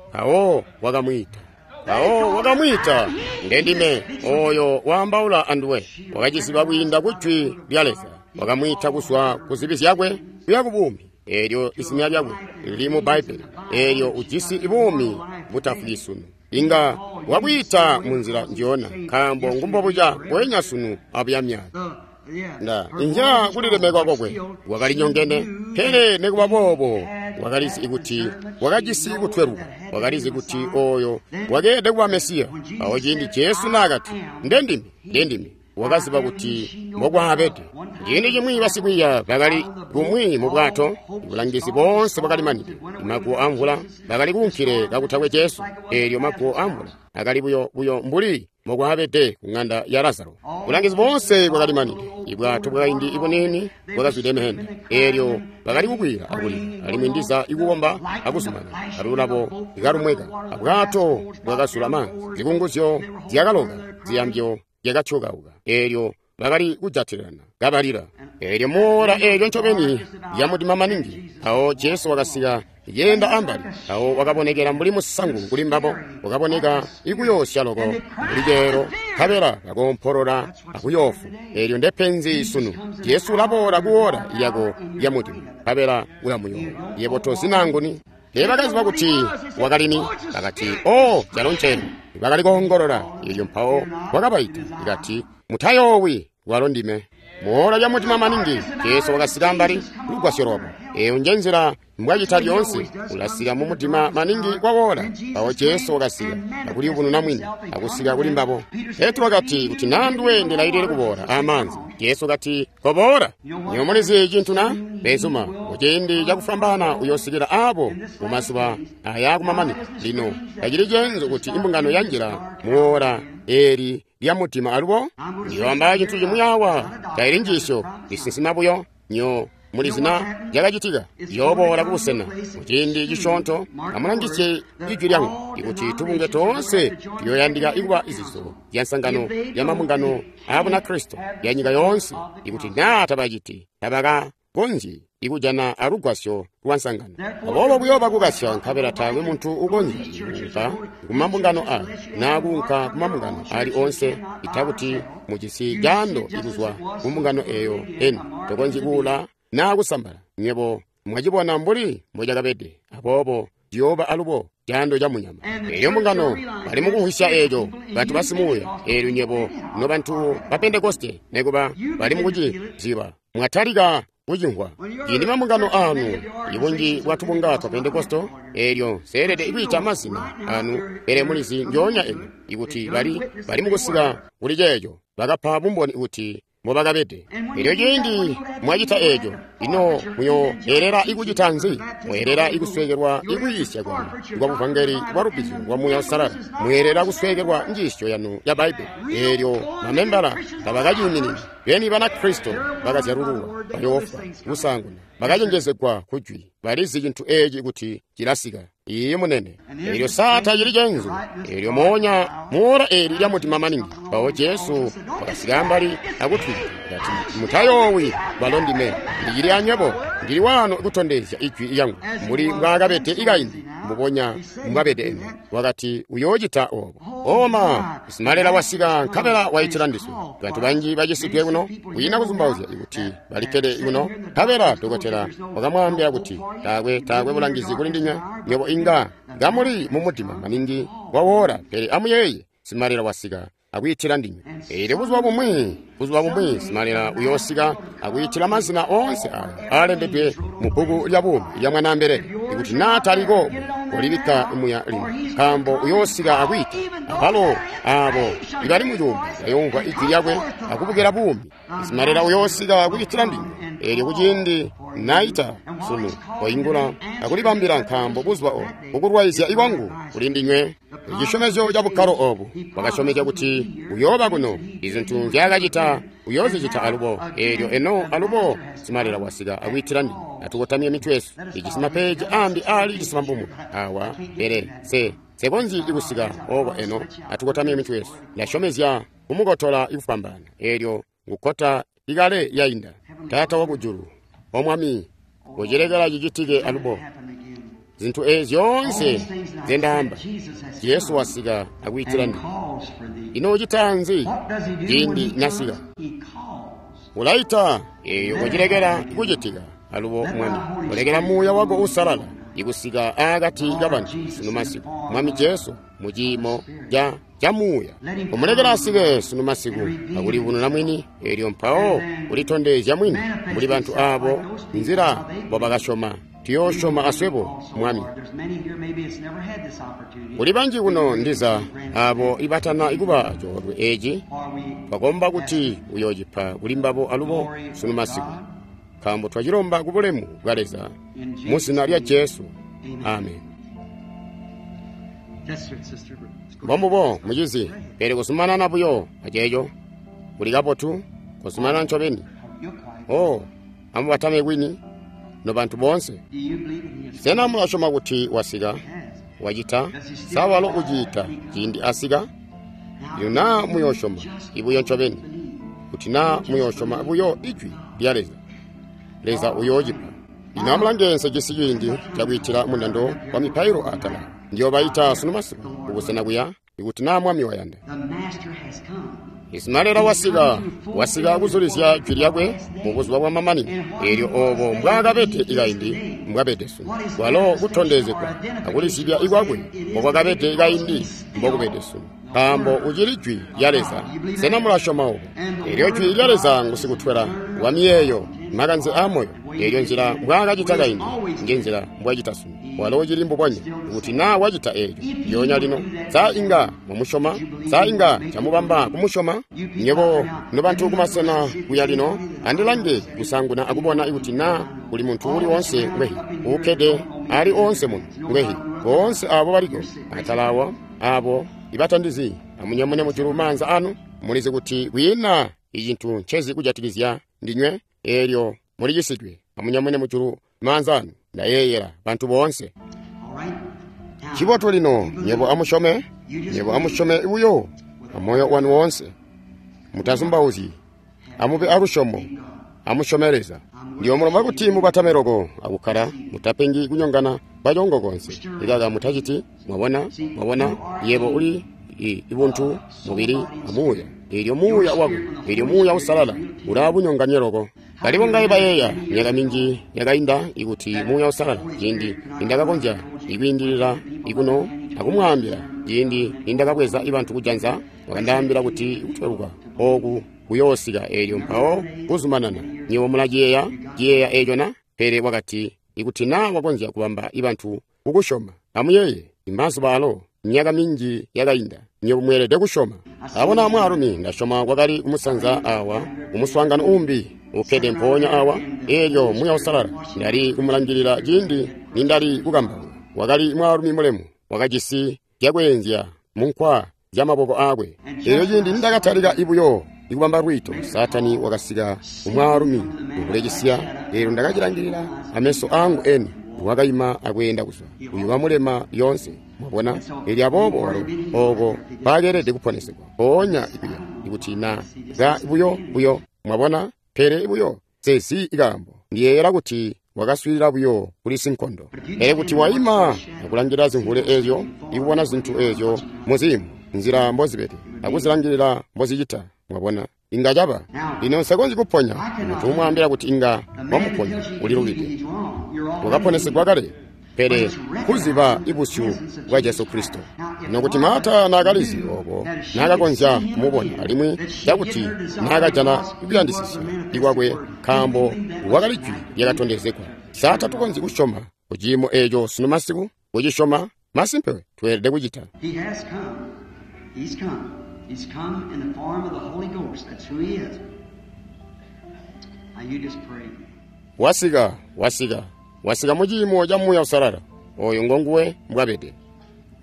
Mpawo wakamwiita. Mpawo wakamwiita, "Ndendime oyo waambaula anduwe." Wakaciziba kwiinda ku jwi lya Leza. Wakamwiita kuzwa ku zibi zyakwe kuya ku buumi. Elyo izina lyakwe lili mu Bbaibbele. Elyo ujisi buumi butafwi sunu. Inga wakwiita mu nzila njiyona, nkaambo ngumbobuca mbweenya sunu abuya myaka. Nda inzya kulilemekwa kwakwe wakali nyongene, pele nikuba boobo wakalizi kuti wakajisi kutweluka, wakalizi kuti oyo wakeelede kuba Mesiya. Awo ciindi Jesu naakati, "Ndendime, ndendime," wakaziba kuti mbokwaabede. Ciindi cimwi basikwiiya bakali kumwi mu bwato, bulangizi boonse bwakali manide. Maguwo amvula bakali kuunkile kakutakwe Jesu. Eelyo maguwo amvula akali buyo buyo mbuli mbokwaabede ku ng'anda ya Lazaro. Bulangizi boonse bwakali manide. Ibwato bwakaindi ibuniini bwakazwide meenda. Eelyo bakali kukwila akulila, alimwi ndiza ikukomba akuzumana. Alulabo ikalumweka, abwato bwakazula maanzi, zikunguzyo zyakaloka, ziyambyo zyakatyokauka. Eelyo bakali kujatilana kabalila. Eelyo muola eelyo ncobeni lyamudima maningi, mpawo Jesu wakasika yenda ambali. Mpawo wakabonekela mbuli musangu kuli mbabo, wakaboneka ikuyoosya loko mbuli ceelo, nkabela bakoompolola akuyoofu. Eelyo ndepenzi sunu. Jesu ulaboola kuola yako yamudima, nkabela ulamuyoowa. Yebo tozinanguni. Teebakaziba kuti wakalini. Bakati, "O, calo ncenu." Bakali koongolola. Eelyo mpawo wakabaita, ikati, "Mutayoowi, walo ndime." Muola lya mutima maningi, Jesu wakasika ambali lugwasyo lwabo. Eyo nje nzila mbwacita lyoonse, ulasika mu mudima maningi kwawoola. Mpawo Jesu wakasika akuliyubununa mwini, akusika kuli mbabo. Petro wakati, "Kuti nanduwe ndilailile kuboola amaanzi." Jesu kati, "Koboola." Nyomulizi cintu na? Benzuma, muciindi cakufwambaana uyoosikila aabo mumazuba aya kumamanino. Lino tacili ceenzu kuti imbungano yanjila muola eeli lya mudima alubo. Ndiyoamba cintu cimwi awa, taili njiisyo, lisinsima buyo. Nyo mulizina lyakacitika, yooboola kubusena muciindi cisyoonto. Amulangisye ijwi lyangu, ikuti tubunge toonse tuyooyandika ikuba izizo zya nsangano ya mabungano aa Bunakristo ya nyika yoonse. Ikuti naa tabaciti, tabaka konzyi ikujana alugwasyo lwa nsangano. Aboobo kuyooba kukasya, nkabela taakwe muntu ukonzya kuunka kumambungano aya naa kuunka kumambungano ali onse itakuti mujisi caando ikuzwa kumbungano eyo eni. Tokonzyi kuula naa kusambala. Nywebo mwacibona mbuli mbocakabede. Aboobo ciyooba alubo caando ca munyama. Elyo mbungano bali mukumvwisya eeco, bantu basimuuya. Eelyo nywebo nobantu ba Pentekoste nekuba bali mukuciziba, mwatalika kucimvwa. Ciindi mambungano anu, ibunji bwa tubunga twa Pentekoste, eelyo seelede kwiita mazina anu, pele mulizi ndyoonya eno ikuti bali bali mukusika kuli ceeco, bakapa bumboni kuti mbobakabede. Elyo ciindi mwacita eeco, ino muyoelera ikucita nzi? Mweelera ikusweekelwa ikuyiisya kwanu kwa buvangeli bwa lubbizyo lwa Muuya Uusalala. Mweelera kusweekelwa njiisyo yanu ya Bbaibbele. Eelyo mamembala tabakaciiminini. Beni Banakristo bakazyalululwa bayoofwa kusaanguna, bakacenjezegwa kujwi, balizi cintu eeci kuti cilasika. Iiyi munene. Eelyo saa tacili cenzu. Eelyo moonya muora eeli lya mutima maningi. Mpawo Jesu wakasika ambali akutwiita kati, mutayoowi, balo ndime, ndicili anywebo, ndili wano kutondezya ijwi lyangu mbuli mbwaakabede ikaindi, mbubonya mbwabede eno. Wakati uyoocita oobo. Oma simalela wasika nkabela waitila ndiswe. Bantu banji bacisidwe kuno, kwiina kuzumbauzya ikuti balikkede kuno. Nkabela dokotela wakamwaambila kuti taakwe taakwe bulangizi kuli ndinywe, nywebo inga ngamuli mumudima maningi wawoora, pele amuyeeye, simalela wasika akwiitila ndinywe. Eelyo buzuba bumwi, buzuba bumwi simalela uyoosika akwiitila mazina onse aya aalembedwe mu bbuku lya buumi lya Mwanaambelele. Ikuti naa taliko, kolibikka muya lino, nkaambo uyoosika akwiita. Abalo aabo ibali mucuumbwe bayoomvwa ijwi lyakwe akubukila buumi. Simalela uyoosika akwiitila ndinywe. Eelyo kuciindi naita sunu, koingula akulibambila, nkaambo buzuba obu kukulwaizya ikwangu kuli ndinywe. Icisyomezyo ca bukkalo obu wakasyomezya kuti uyooba kuno. Izintu nzyaakacita uyoozicita alubo. Eelyo eno alubo simalela wasika akwiitila ndinywe. Atukotamye mitwe yesu. Ijisi mapeeji ambi aali cisambomwe awa, pele se sekonzyi ikusika oko eno. Atukotamye mitwe yesu. Ndasyomezya kumukotola ikufwambaana. Eelyo ngukota ikale yainda. Taata wakujulu, O Mwami, kucilekela cicitike alubo. Zintu eezi zyoonse nzendaamba, Jesu wasika akwiitila ndinywe. Ino ucita nzi ciindi nasika? Ulaita. Eeyo kucilekela kucitika alubo, Mwami. Ulekela Muuya wako Uusalala ikusika aakati kabantu sunu masiku, Mwami Jesu, mu ciimo ca ca Muuya. Umulekela asike sunu masiku akulivununa mwini, eelyo mpawo ulitondezya mwini mbuli bantu aabo nzila mbobakasyoma. Tuyoosyoma aswebo, Mwami. Kuli banji kuno ndiza aabo ibatana ikuba coolwe eeci, twakomba kuti uyoocipa kuli mbabo alubo sunu masiku, nkaambo twacilomba ku bulemu bwa Leza mu zina lya Jesu. Amen. Mbombubo, mucizi, pele kuzumanana buyo aceeco kuli kabotu, kuzumanana ncobeni. Oh, amubatame kwini nobantu boonse. Sena mulasyoma kuti wasika? Wacita? Sa walo uciita ciindi asika? Lino naa muyoosyoma ibuyo ncobeni, kuti naa muyoosyoma buyo ijwi lya Leza, Leza uyoocipa. Lino amulange, nse ciindi cakwiitila mundando wa mipailo atala. Ndiyoobaita sunu masiku kubusena kuya, ikuti naa Mwami wayanda. Isimalela wasika, wasika kuzulizya jwi lyakwe mu buzuba bwa mamanino. Eelyo oobo mbwaakabede ikaindi, mbwabede sunu. Walo kutondezegwa akulizibya ikwakwe mbokwakabede ikaindi, mbokubede sunu, nkaambo ucili jwi lya Leza. Sena mulasyoma obo? Eelyo jwi lya Leza ngusikutwela wa miyeeyo, makanze aamoyo. Eelyo nzila mbwaakacita kaindi, njenzila mbwacita sunu. Walo ucili mbubonya. Kuti naa wacita eelyo lyoonya lino, sa inga mwamusyoma? Sa inga camubamba kumusyoma? Nywebo nobantu kumasena kuya lino, andilange kusanguna akubona kuti naa kuli muntu uli oonse ngwehi uukkede ali oonse muno ngwehi. Boonse aabo baliko atala awa, aabo ibatandizi, amunyamune mujulu maanza anu. Mulizi kuti kwiina icintu ncezi kujatikizya ndinywe, eelyo mulicisidwe. Amunyamune mujulu maanza anu. Ndayeeyela bantu boonse. Cibotu lino, nywebo amusyome, nywebo amusyome buyo amoyo wanu woonse. Mutazumbauzyi. Amube alusyomo. Amusyome Leza. Ndiyomulomba kuti mubatame loko akukkala, mutapengi kunyongana kwacongo konse. Ikaka mutaciti, mwabona, mwabona, yebo uli i ibuntu, mubili, amuuya. Eelyo muuya wako, eelyo muuya usalala, ulabunyonganye loko. Bali bongaye bayeeya myaka minji yakainda ikuti muuya usalala ciindi nindakakonzya ikwiindilila ikuno akumwaambila ciindi nindakabweza ibantu kujanza, wakandaambila kuti kutweluka ooku kuyoosika eelyo mpawo kuzumanana. Nywebo mulaciyeeya ciyeeya eeco na? Pele wakati ikuti naa wakonzya kubamba ibantu kukusyoma. Amuyeeye imazuba alo myaka minji yakainda, nywebo mweelede kusyoma. Abona mwaalumi ndasyoma kwakali kumusanza awa kumuswaangano umbi ukkede mpoonya awa, eelyo muuya usalala ndali kumulangilila ciindi nindali kukambauka. Wakali mwaalumi mulemu, wakajisi zyakweenzya munkwa zyamaboko aakwe. Eelyo ciindi nindakatalika ibuyo ikubamba lwiito, Saatani wakasika kumwaalumi ukulekisya. Eelyo ndakacilangilila ameso angu eni, wakaima akweenda kuzwa uyu wamulema lyoonse. Mwabona? Eelyo aboobo walo ooko mpaakeelede kuponesegwa mpoonya ikuya ikuti na ka buyo buyo. Mwabona? Pele buyo sezi ikaambo, ndiyeeyela kuti wakaswiilila buyo kuli sinkondo. Pele kuti waima akulangilila zimvule eezyo, ikubona zintu eezyo muziimo nzila mbozibede akuzilangilila mbozicita, mwabona, inga caba. Lino nsekonzyi kuponya muntu umwaambila kuti inga wamuponya, ulilubide. Wakaponesegwa kale, pele kuziba ibusyu bwa Jesu Kristo. Nokuti Marta naakalizi obo, naakakonzya kumubona alimwi cakuti naakajana kuyandisisya ikwakwe, nkaambo wakali jwi lyakatondezegwa. Sa tatukonzyi kusyoma kuciimo eeco sunu masiku? Kucisyoma masimpe tweelede kucita. He has come. He's come. He's come in the form of the Holy Ghost. That's who he is. Now you just pray. Wasika, wasika, wasika muciimo ca Muuya Usalala. Oyo ngonguwe mbwabede.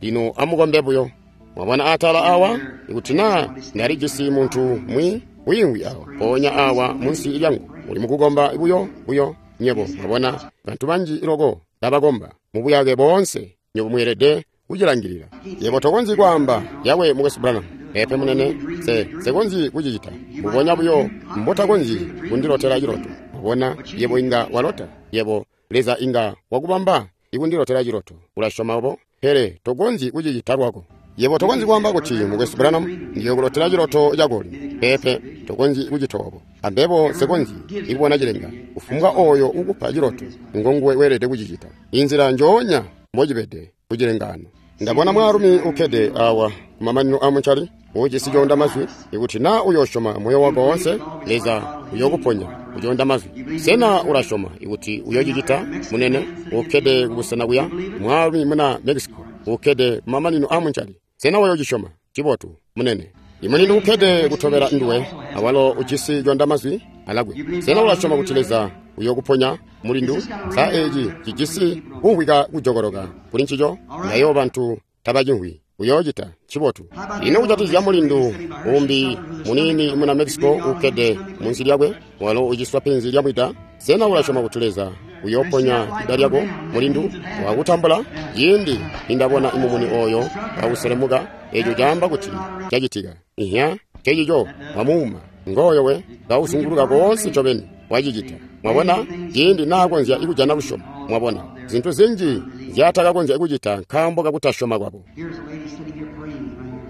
Lino amukombe buyo. Mwabona atala awa, ikuti naa ndalijisi muntu mwi wiimwi awa, mpoonya awa munsi lyangu, uli mukukomba buyo buyo. Nywebo mwabona bantu banji loko babakomba mubuyake boonse. Nywebo mweelede kucilangilila. Yebo tokonzyi kwaamba yawe mukwesu Branham. Pepe munene, se sekonzyi kucicita. Mbubonya buyo mbotakonzyi kundilotela ciloto. Mwabona, yebo inga walota. Yebo Leza inga wakubamba ikundilotela ciloto. Ulasyoma obo, pele tokonzyi kucicita lwako. Yebo tokonzyi kwaamba kuti mukwesu Branham ndiyokulotela ciloto cako lino. Pepe, tokonzyi kucita obo. Ambebo nsekonzyi ikubona cilenga. Kufumbwa oyo ukupa ciloto ngonguwe weelede kucicita. Inzila njoonya mbocibede kucilengano. Ndabona mwaalumi ukkede awa kumamanino amuncali ujisi coonda mazwi. Ikuti naa uyosyoma moyo wako woonse, Leza uyokuponya kucoonda mazwi. Sena ulasyoma ikuti uyocicita, munene? Ukkede kubusena kuya, mwaalumi muna Mexico ukkede kumamanino amuncali. Sena uyocisyoma? Cibotu, munene. Imulindu ukkede kutobela nduwe, awalo ujisi coonda mazwi alakwe. Sena ulasyoma kuti Leza uyokuponya, mulindu? Sa eeci cijisi kumvwika kujokoloka kuli ncico? Nayo bantu tabacimvwi. Uyoocita cibotu. Ino kujatikizya mulindu umbi muniini muna Mexico ukkede munsi lyakwe, walo uciswa penzi lyamwida? Sena ulasyoma kuti Leza uyoponya ida lyako, mulindu? Wakutambula? Ciindi nindabona imumuni oyo kawuselemuka, eeco caamba kuti cacitika. Ihya, cecico wamuuma ngoyo we kawuzunguluka koonse ncobeni wacicita. Mwabona, ciindi naakonzya ikujana lusyomo. Mwabona zintu zinji nzyaatakakonzya kucita nkaambo kakutasyoma kwabo. Here's a lady sitting here praying right here.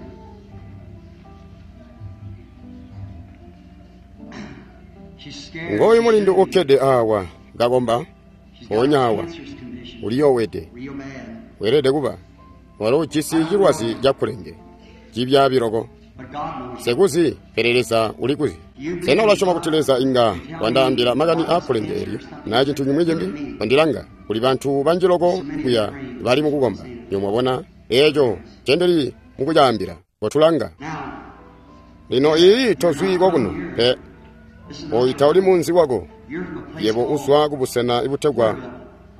She's scared. Ngoyu mulindu ukkede awa kakomba She's got mpoonya a awa cancerous condition. uliyowede, Real bad. weelede kuba walo ujisi cilwazi cakulenge cibyaabi loko. But God knows. Sekuzi, pele Leza ulikuzi. Sena ulasyoma kuti Leza inga wandaambila makani aakulenge eelyo na cintu cimwi cimbi? Wandilanga, kuli bantu banji loko kuya bali mukukomba. Nywebo mwabona eeco ncendili mukucaambila. Kotulanga Now, lino, iyi tozwi kokuno pe, this is oyu tauli munzi wako. you're from a place Yebo called uzwa kubusena ibutegwa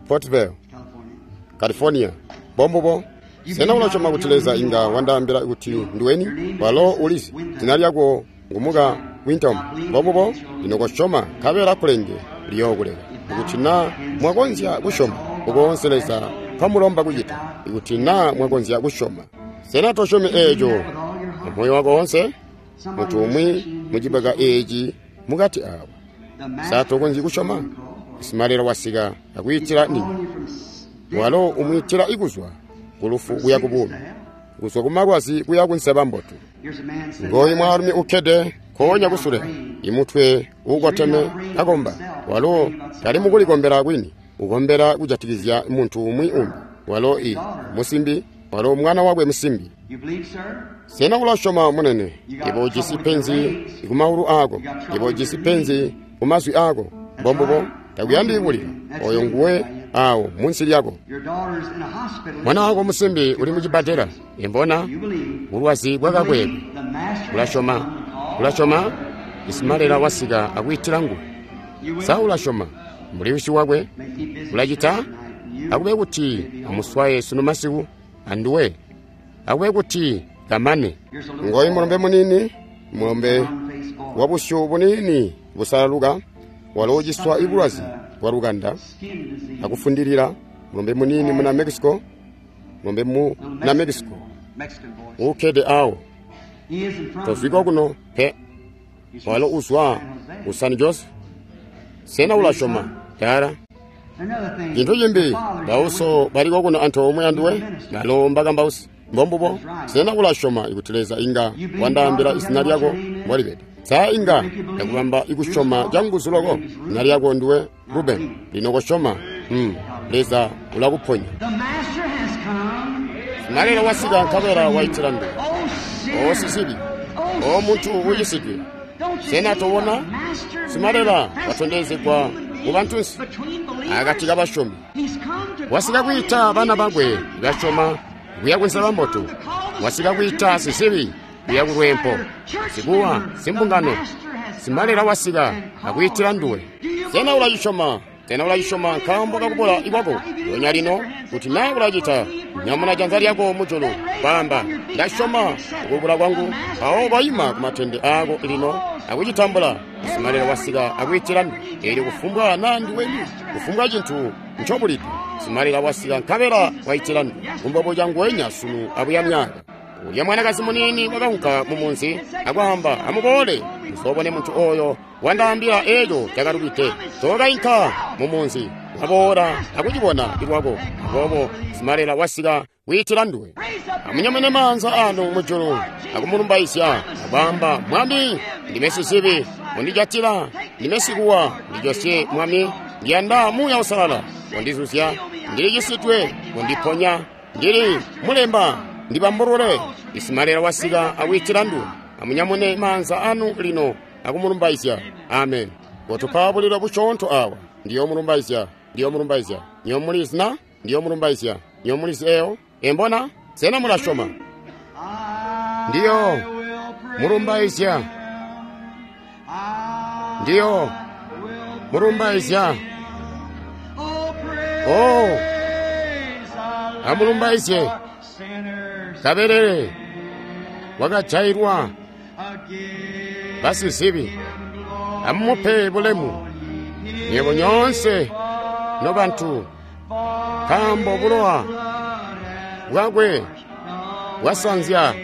Portville, California. California. Bombubo. Sena ulasyoma kuti Leza inga wandaambila kuti ndiweni? Walo ulizi zina lyako ngumuka Wintom. Bombubo. Lino kosyoma nkabela kulenge liyookuleka. Ikuti naa mwakonzya kusyoma ukoonse Leza nkwamulomba kucita, ikuti naa mwakonzya kusyoma. Sena tosyomi eeco amoyo wako wonse? Muntu umwi mucibaka eeci mukati awa Sa tokonzyi kusyoma? Simalelo wasika akwiitila ndinywe. Walo umwiitila ikuzwa kulufu kuya kubuumi, kuzwa kumalwazi kuya kunseba mbotu. Ngooyu mwaalumi ukkede nkoonya kusule, imutwe uukoteme akomba. Walo tali mukulikombela kwini, ukombela kujatikizya muntu umwi umbi. Walo i musimbi, walo mwana wakwe musimbi. Sena ulasyoma, munene? Yebo ujisi penzi kumaulu aako. Yebo ujisi penzi kumazwi aako. Mbombubo, takuyandi kulila. Oyo nguwe awo munsi lyako. Mwana wako musimbi uli mucibbadela. Imbona bulwazi bwakakwekwe. Ulasyoma? Ulasyoma? Isimalela wasika akwiitila nguwe. Sa ulasyoma? Mbuli wisi wakwe ulacita? Akube kuti amuswaye sunu masiku anduwe. Akube kuti kamane. Ngoyu mulombe munini, mulombe wa busyu bunini busalaluka, walo uciswa ibulwazi bwa lukanda akufundilila. Mulombe munini muna Mexico, mulombe muna Mexico ukkede awo. Tozwiko kuno pe. Walo uzwa ku San Jose. Sena ulasyoma, Tara? Cintu cimbi, bauso baliko kuno antoomwe anduwe, balo mbakambausi. Mbombubo. Sena ulasyoma kuti Leza inga wandaambila izina lyako mbolibede? Sa inga ndakubamba ikusyoma canguzu loko? Zina lyako nduwe Ruben. Lino kosyoma. Mm. Leza ulakuponya. Simalelo wasika nkabela waitila nduwe. O sizibi, o muntu ucisidwe, sena tobona? Simalela watondezegwa mu bantunsi akati kabasyomi. Wasika kwiita bana bakwe basyoma kuya kunseba mbotu. Wasika kwiita sizibi kuya kulwempo. Sikuwa simbungano, simalela wasika akwiitila nduwe. Sena ulacisyoma? Sena ulacisyoma nkaambo kakubula ikwako? Lyonya lino, kuti naa ulacita, nyamuna janza lyako mujulu, kwaamba, ndasyoma ukubula kwangu. Mpawo koima kumatende aako lino akucitambula. Simalelo wasika akwiitila nduwe. Eelyo kufumbwa naa nduweni, kufumbwa cintu ncobulide, simalela wasika nkabela waitila nduwe. Kumbobo canguwenya sunu abuya myaka. Ulya mwanakazi munini wakaunka mumunzi akwaamba, amuboole muzoobone muntu oyo wandaambila eeco cakalubide. Tookainka mumunzi, waboola akucibona lwako. Aboobo simalela wasika kwiitila nduwe. Amunyamune maanza anu mujulu akumulumbaizya akwaamba, Mwami, ndime sizibi, mundijatila, ndime sikuwa, ndijosye Mwami, ndiyanda Muuya Uusalala, undizuzya, ndilicisidwe, undiponya, ndili mulemba, ndibambulule. Isimalela wasika akwiitila nduwe. Amunyamune maanza anu lino akumulumbaizya. Amen. Kotupa bulilo busyoonto awa. Ndiyomulumbaizya, ndiyomulumbaizya. Nyomulizi na? Ndiyomulumbaizya. Nyomulizi eyo? Embona? Sena mulasyoma? Ndiyo mulumbaizya. Ndiyo mulumbaizya. Oh, amulumbaizye kabelele wakajailwa basizibi. Amumupe bulemu nyebo nyoonse nobantu, nkaambo bulowa bwakwe bwasanzya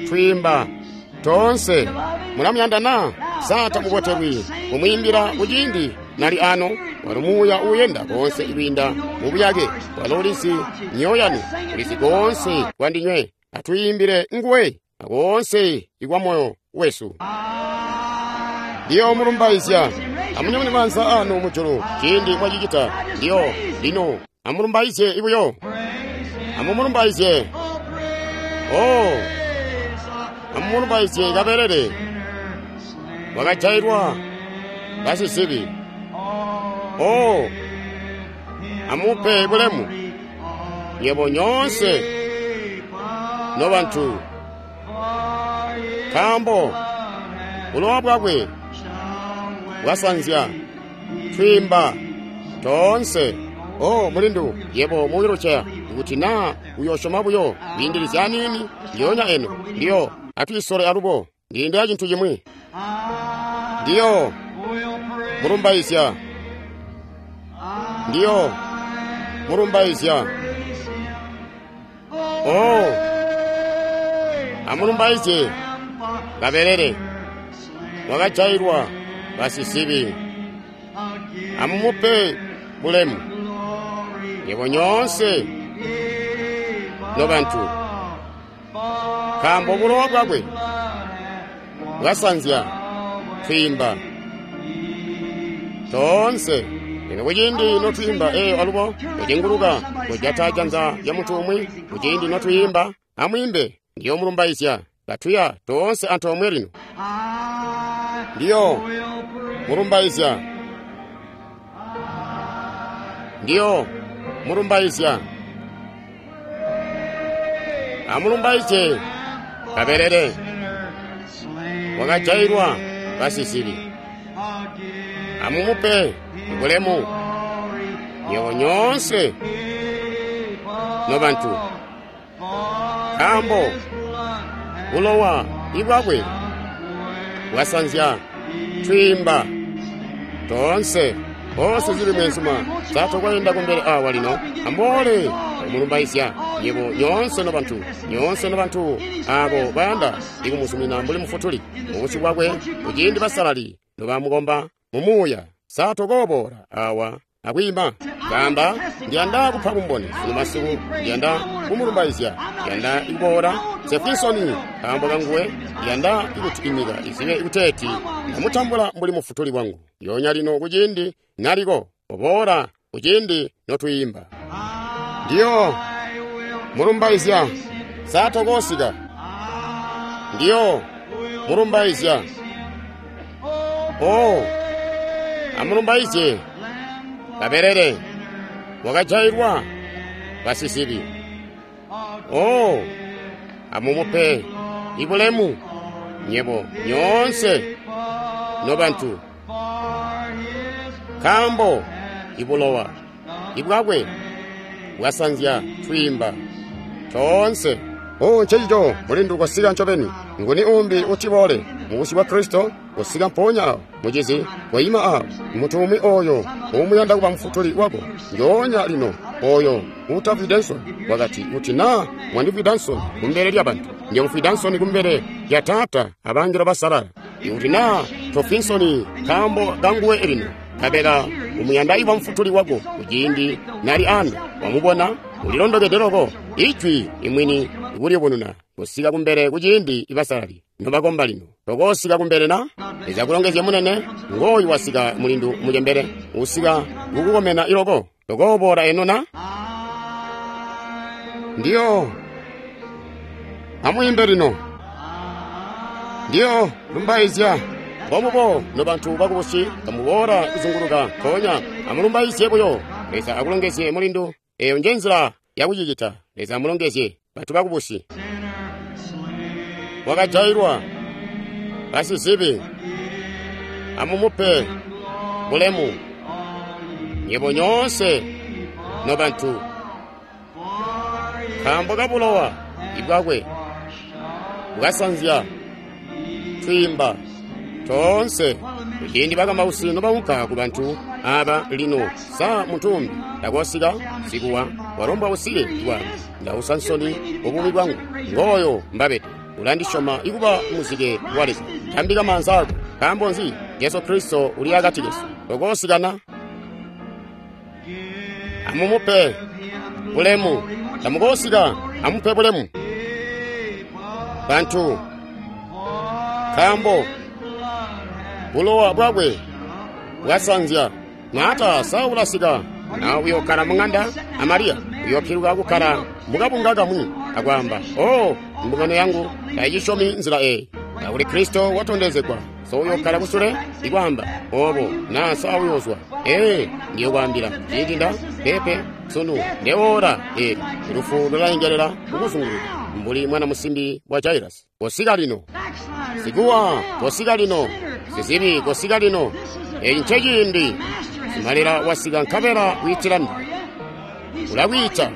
twiimba toonse. Mulamuyanda na? Sa tamubotelwi kumwiimbila kuciindi nali ano? Walo muuya uuyenda koonse kwiinda mubuyake. Walo ulizi myoyo yanu, ulizi koonse kwandinywe. Atwiimbile nguwe akoonse ikwa moyo wesu. Ndiyo mulumbaizya. Amunyamune maanza anu mujulu ciindi mwacicita. Ndiyo lino amulumbaizye ibuyo. Amumulumbaizye. Oh, amumulumbaizye kabelele wakajailwa basizibi. Oh, amupe bulemu nyebo nyoonse nobantu, nkaambo bulowa bwakwe bwasanzya twiimba toonse. Oh, mulindu, yebo mu wheelchair, kuti naa uyosyoma buyo kwiindilizya aniini ndiyoonya eno. Ndiyo atwiisole alubo ndiyindila cintu cimwi. Ndiyo mulumbaizya. Ndiyo mulumbaizya. Oh, amulumbaizye kabelele wakajailwa basizibi. Amumupe bulemu. Nywebo nyoonse nobantu, nkaambo bulowa bwakwe bwasanzya twiimba toonse. Lino kuciindi notwiimba eyo alubo kucenguluka kujata janza lya muntu umwi, kuciindi notwiimba amwiimbe ndiyo mulumbaizya. Katuya toonse antoomwe lino. Ndiyo mulumbaizya, ndiyo mulumbaizya. Amulumbaizye kabelele wakajailwa basizibi. Amumupe bulemu nywebo nyoonse nobantu, nkaambo bulowa ibwakwe bwasanzya twiimba toonse. Onse zili mwenzuma satokwaenda kumbele awa lino. Amboole kumulumbaizya nyebo nyoonse nobantu, nyoonse nobantu abo bayanda ikumuzumina mbuli mufutuli mubusyu bwakwe kuciindi basalali nobamukomba mumuuya. Satokoboola awa akwiima kamba ndiyanda kupha kumboni sunu masiku, ndiyanda kumulumbaizya, ndiyanda ikuboola Jefferson nkaambo kanguwe, ndiyanda ikuti inyika izibe ikuteeti ndamutambula mbuli mufutuli wangu. Yonya lino kuciindi naliko oboola kuciindi notwiimba. Ndiyo mulumbaizya satokosika, ndiyo mulumbaizya. Oh, amulumbaizye kabelele wakajailwa basizibi. Oh, amumupe ibulemu nyebo nyoonse nobantu, nkaambo ibulowa ibwakwe bwasanzya twiimba toonse. Oh, ncencico mulindu kwasika ncobeni. Nguni umbi utiboole mubusyu bwa Kristo kusika mpoonya awo mucizi koima awo muntu umwi oyo uumuyanda kuba mufutuli wako njoonya lino, oyo uutafwide nsoni wakati kuti naa mwandifwida nsoni kumbele lya bantu, ndiyomufwida nsoni kumbele lya Taata abangelo basalala. Ikuti naa tofwi nsoni nkaambo kanguwe lino, nkabela umuyanda iba mufutuli wako kuciindi nali ano wamubona ulilondokede loko ijwi imwini ikulibununa kusika kumbele kuciindi ibasalali nobakomba lino. Tokosika kumbele na Leza kulongezye munene ngoyu wasika mulindu mucembele usika kukukomena iloko. Tokoboola eno na ndiyo amwiimbe lino. Ndiyo lumbaizya mbomubo nobantu bakubusi kamuboola kuzunguluka mpoonya amulumbaizye buyo. Leza akulongezye mulindu. Eyo nje nzila yakucicita. Leza amulongezye bantu bakubusi. Wakajailwa basizibi, amumupe bulemu nyebo nyoonse nobantu, nkaambo kabulowa ibwakwe bwasanzya twiimba toonse. Kuciindi bakamausi nobaunka ku bantu aba lino, sa muntu umbi takosika sikuwa walombwa usike bwangu ndausa nsoni ububi bwangu ngoyo mbabete ulandisyoma ikuba muzike wa Leza. Tambika maanza ako. Nkaambo nzi? Jesu Kristo uli akati kesu. Tokosikana. Amumupe bulemu. Tamukosika. Amupe bulemu bantu, nkaambo bulowa bwakwe bwasanzya. Maata sa ulasika na uyokkala mung'anda a Mariya uyopyiluka kukkala mukabunga kamwi akwaamba, oh, mbungano yangu tayicisyomi nzila eyi. Kakuli Kristo watondezegwa, so uyokkala kusule ikwaamba obo na sa uyozwa. Ee, ndiyokwaambila ciindi nda pepe sunu ndewola eli lufu lulayengelela kukuzunguluka mbuli mwana musimbi wa Jairasi. Kosika lino sikuwa, kosika lino sizibi, kosika lino. Eyi nceciindi simalila wasika nkabela wiitilani ulakwiita.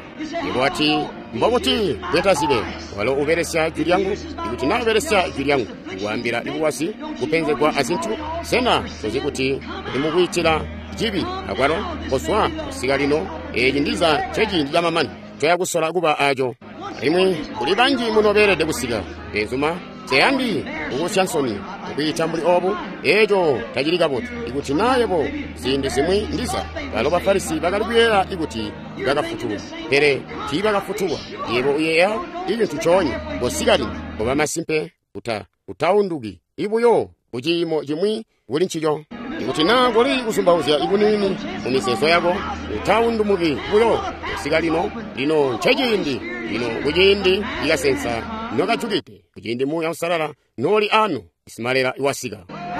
Yebo wati mbokuti bwetazibe walo ubelesya jwi lyangu. Ikuti naa ubelesya jwi lyangu ikwaambila ikuwasi kupenzegwa azintu, sena tozi kuti uli mukwiitila cibi akwalo? Kozwa kusika lino. Eeci ndiza nceciindi camamani toya kusola kuba aco. Alimwi kuli banji muno beelede kusika. Benzuma, nseyandi kukusya nsoni. kukwiita mbuli obu? Eeco tacili kabotu. Ikuti naa yebo ziindi zimwi ndiza balo Bafarisi bakali kuyeeya ikuti bakafutulwa, pele tiibakafutulwa. Yebo uyeeya icintu coonya. Kosika lino, koba masimpe uta utaunduki ibuyo kuciimo cimwi kuli ncico. Ikuti naa kuli kuzumbauzya ikuniini mu mizeezo yako, utaundumuki buyo. Kosika lino, lino nceciindi, lino kuciindi ikasensa nokajukide, kuciindi Muuya Uusalala nooli anu, Isimalela iwasika.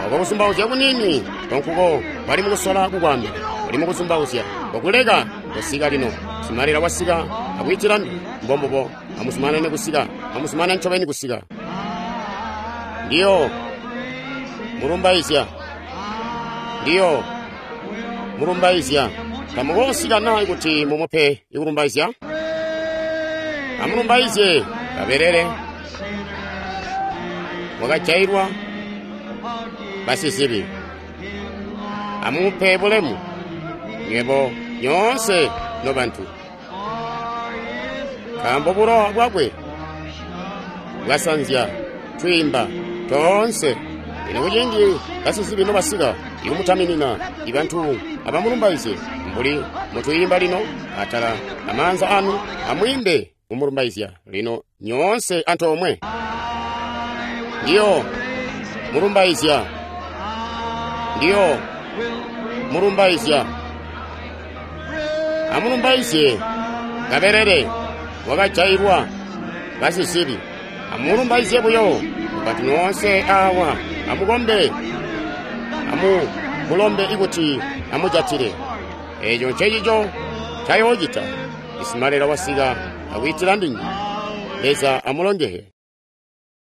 Oko kuzumbauzya kuniini konkuko bali mukusola kukwaambila, bali mukuzumbauzya kokuleka. Kosika lino, Isimalela wasika akwiitila ndu. Mbombubo, amuzumanane kusika, amuzumanane ncobeni kusika. Ndiyo mulumbaizya, ndiyo mulumbaizya. Tamukoosika naa ikuti mumupe ikulumbaizya? Amulumbaizye kabelele wakajailwa basizibi. Amumupe bulemu nywebo nyoonse nobantu, nkaambo bulowa bwakwe bwasanzya twiimba toonse. Lino kuciindi basizibi nobasika ikumutaminina, ibantu abamulumbaizye mbuli mutwiimba lino atala amaanza anu, amwiimbe kumulumbaizya lino nyoonse antoomwe. Ndiyo mulumbaizya, ndiyo mulumbaizya. Amulumbaizye kabelele wakajailwa basizibi. Amulumbaizye buyo bantu nyoonse awa. Amukombe, amumulombe ikuti amujatile. Eeco ncecico ncayoocita. Isimalela wasika akwiitila ndinywe. Leza amulongehe.